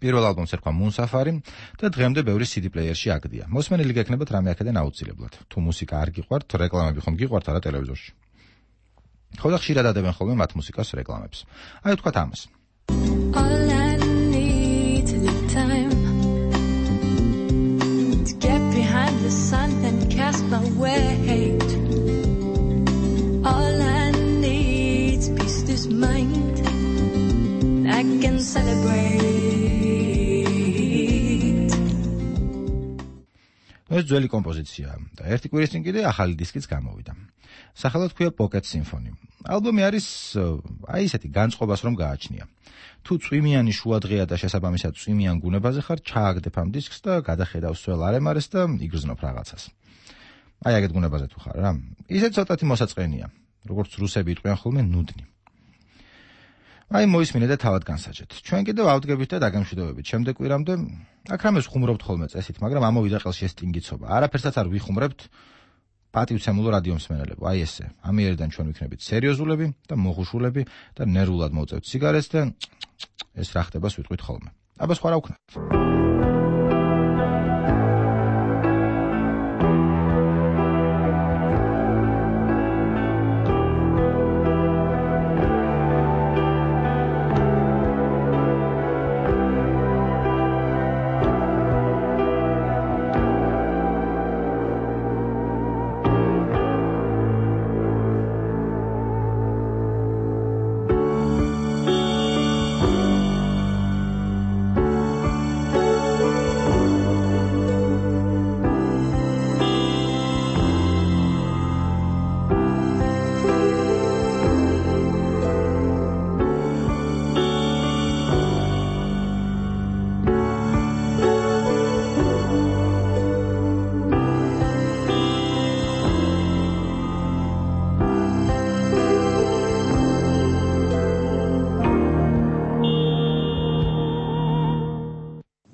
S18: პირველ ალბომს ერქვა Moonsafari და დღემდე ბევრი CD პლეიერში აგდია. მოსმენილი გექნებათ რამე აქედან აუცილებლად. თუ მუსიკა არ გიყვართ, რეკლამები ხომ გიყვართ არა ტელევიზორში. ხო და ხშირად ადებენ ხოლმე მათ მუსიკას რეკლამებს. აი ვთქვათ ამას. All I need is the time to get behind the sun and cast my weight. All I need is peace this mind. I can celebrate. ეს ძველი კომპოზიციაა და ერთი კვირის წინ კიდე ახალი დისკიც გამოვიდა. სახელად ქვია Pocket Symphony. ალბომი არის აი ესეთი განწყობას რომ გააჩნია. თუ წვიმიანი შუადღეა და შესაბამისად წვიმიან გუნებაზე ხარ, ჩააგდებ ამ დისკს და გადახედავ სულ არემარეს და იგრძნობ რაღაცას. აი აგეთ გუნებაზე თუ ხარ რა. ისეთ ცოტათი მოსაწყენია, როგორც რუსები იტყვიან ხოლმე ნუდნი. აი მოისმინე და თავად განსაჯეთ. ჩვენ კიდევ ავდგებით და დაგემშვიდობებით. შემდეგ კვირამდე აქ რამეს ხუმრობთ ხოლმე წესით, მაგრამ ამოვიდა ყელში ეს ტინგიცობა. არაფერსაც არ ვიხუმრებთ. პატივცემულო რადიო მსმენელებო, აი ესე. ამიერიდან ჩვენ ვიქნებით სერიოზულები და მოხუშულები და ნერვულად მოვწევთ სიგარეტს და ეს რა ხდება ვიტყვით ხოლმე. აბა სხვა რა ვქნათ.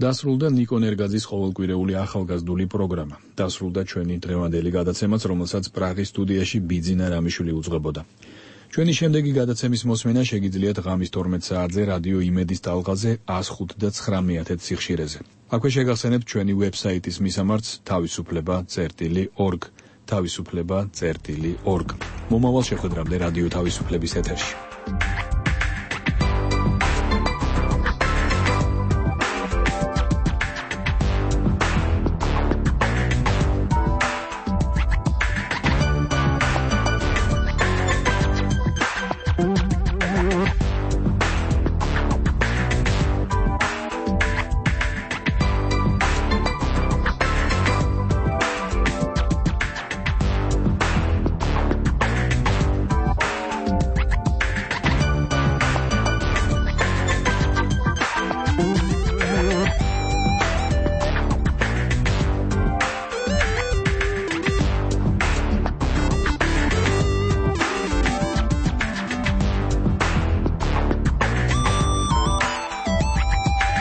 S1: დასრულდა ნიკო ნერგაძის ყოველკვირეული ახალგაზრდული პროგრამა. დასრულდა ჩვენი დღევანდელი გადაცემაც, რომელსაც პრაღის სტუდიაში ბიძინა რამიშვილი უძღვებოდა. ჩვენი შემდეგი გადაცემის მოსმენა შეგიძლიათ ღამის 12 საათზე რადიო იმედის ტალღაზე 105.9 სიხშირეზე. აქვე შეგახსენებთ ჩვენი ვებსაიტის მისამართს თავისუფლება.org. თავისუფლება.org. მომავალ შეხვედრამდე რადიო თავისუფლების ეთერში.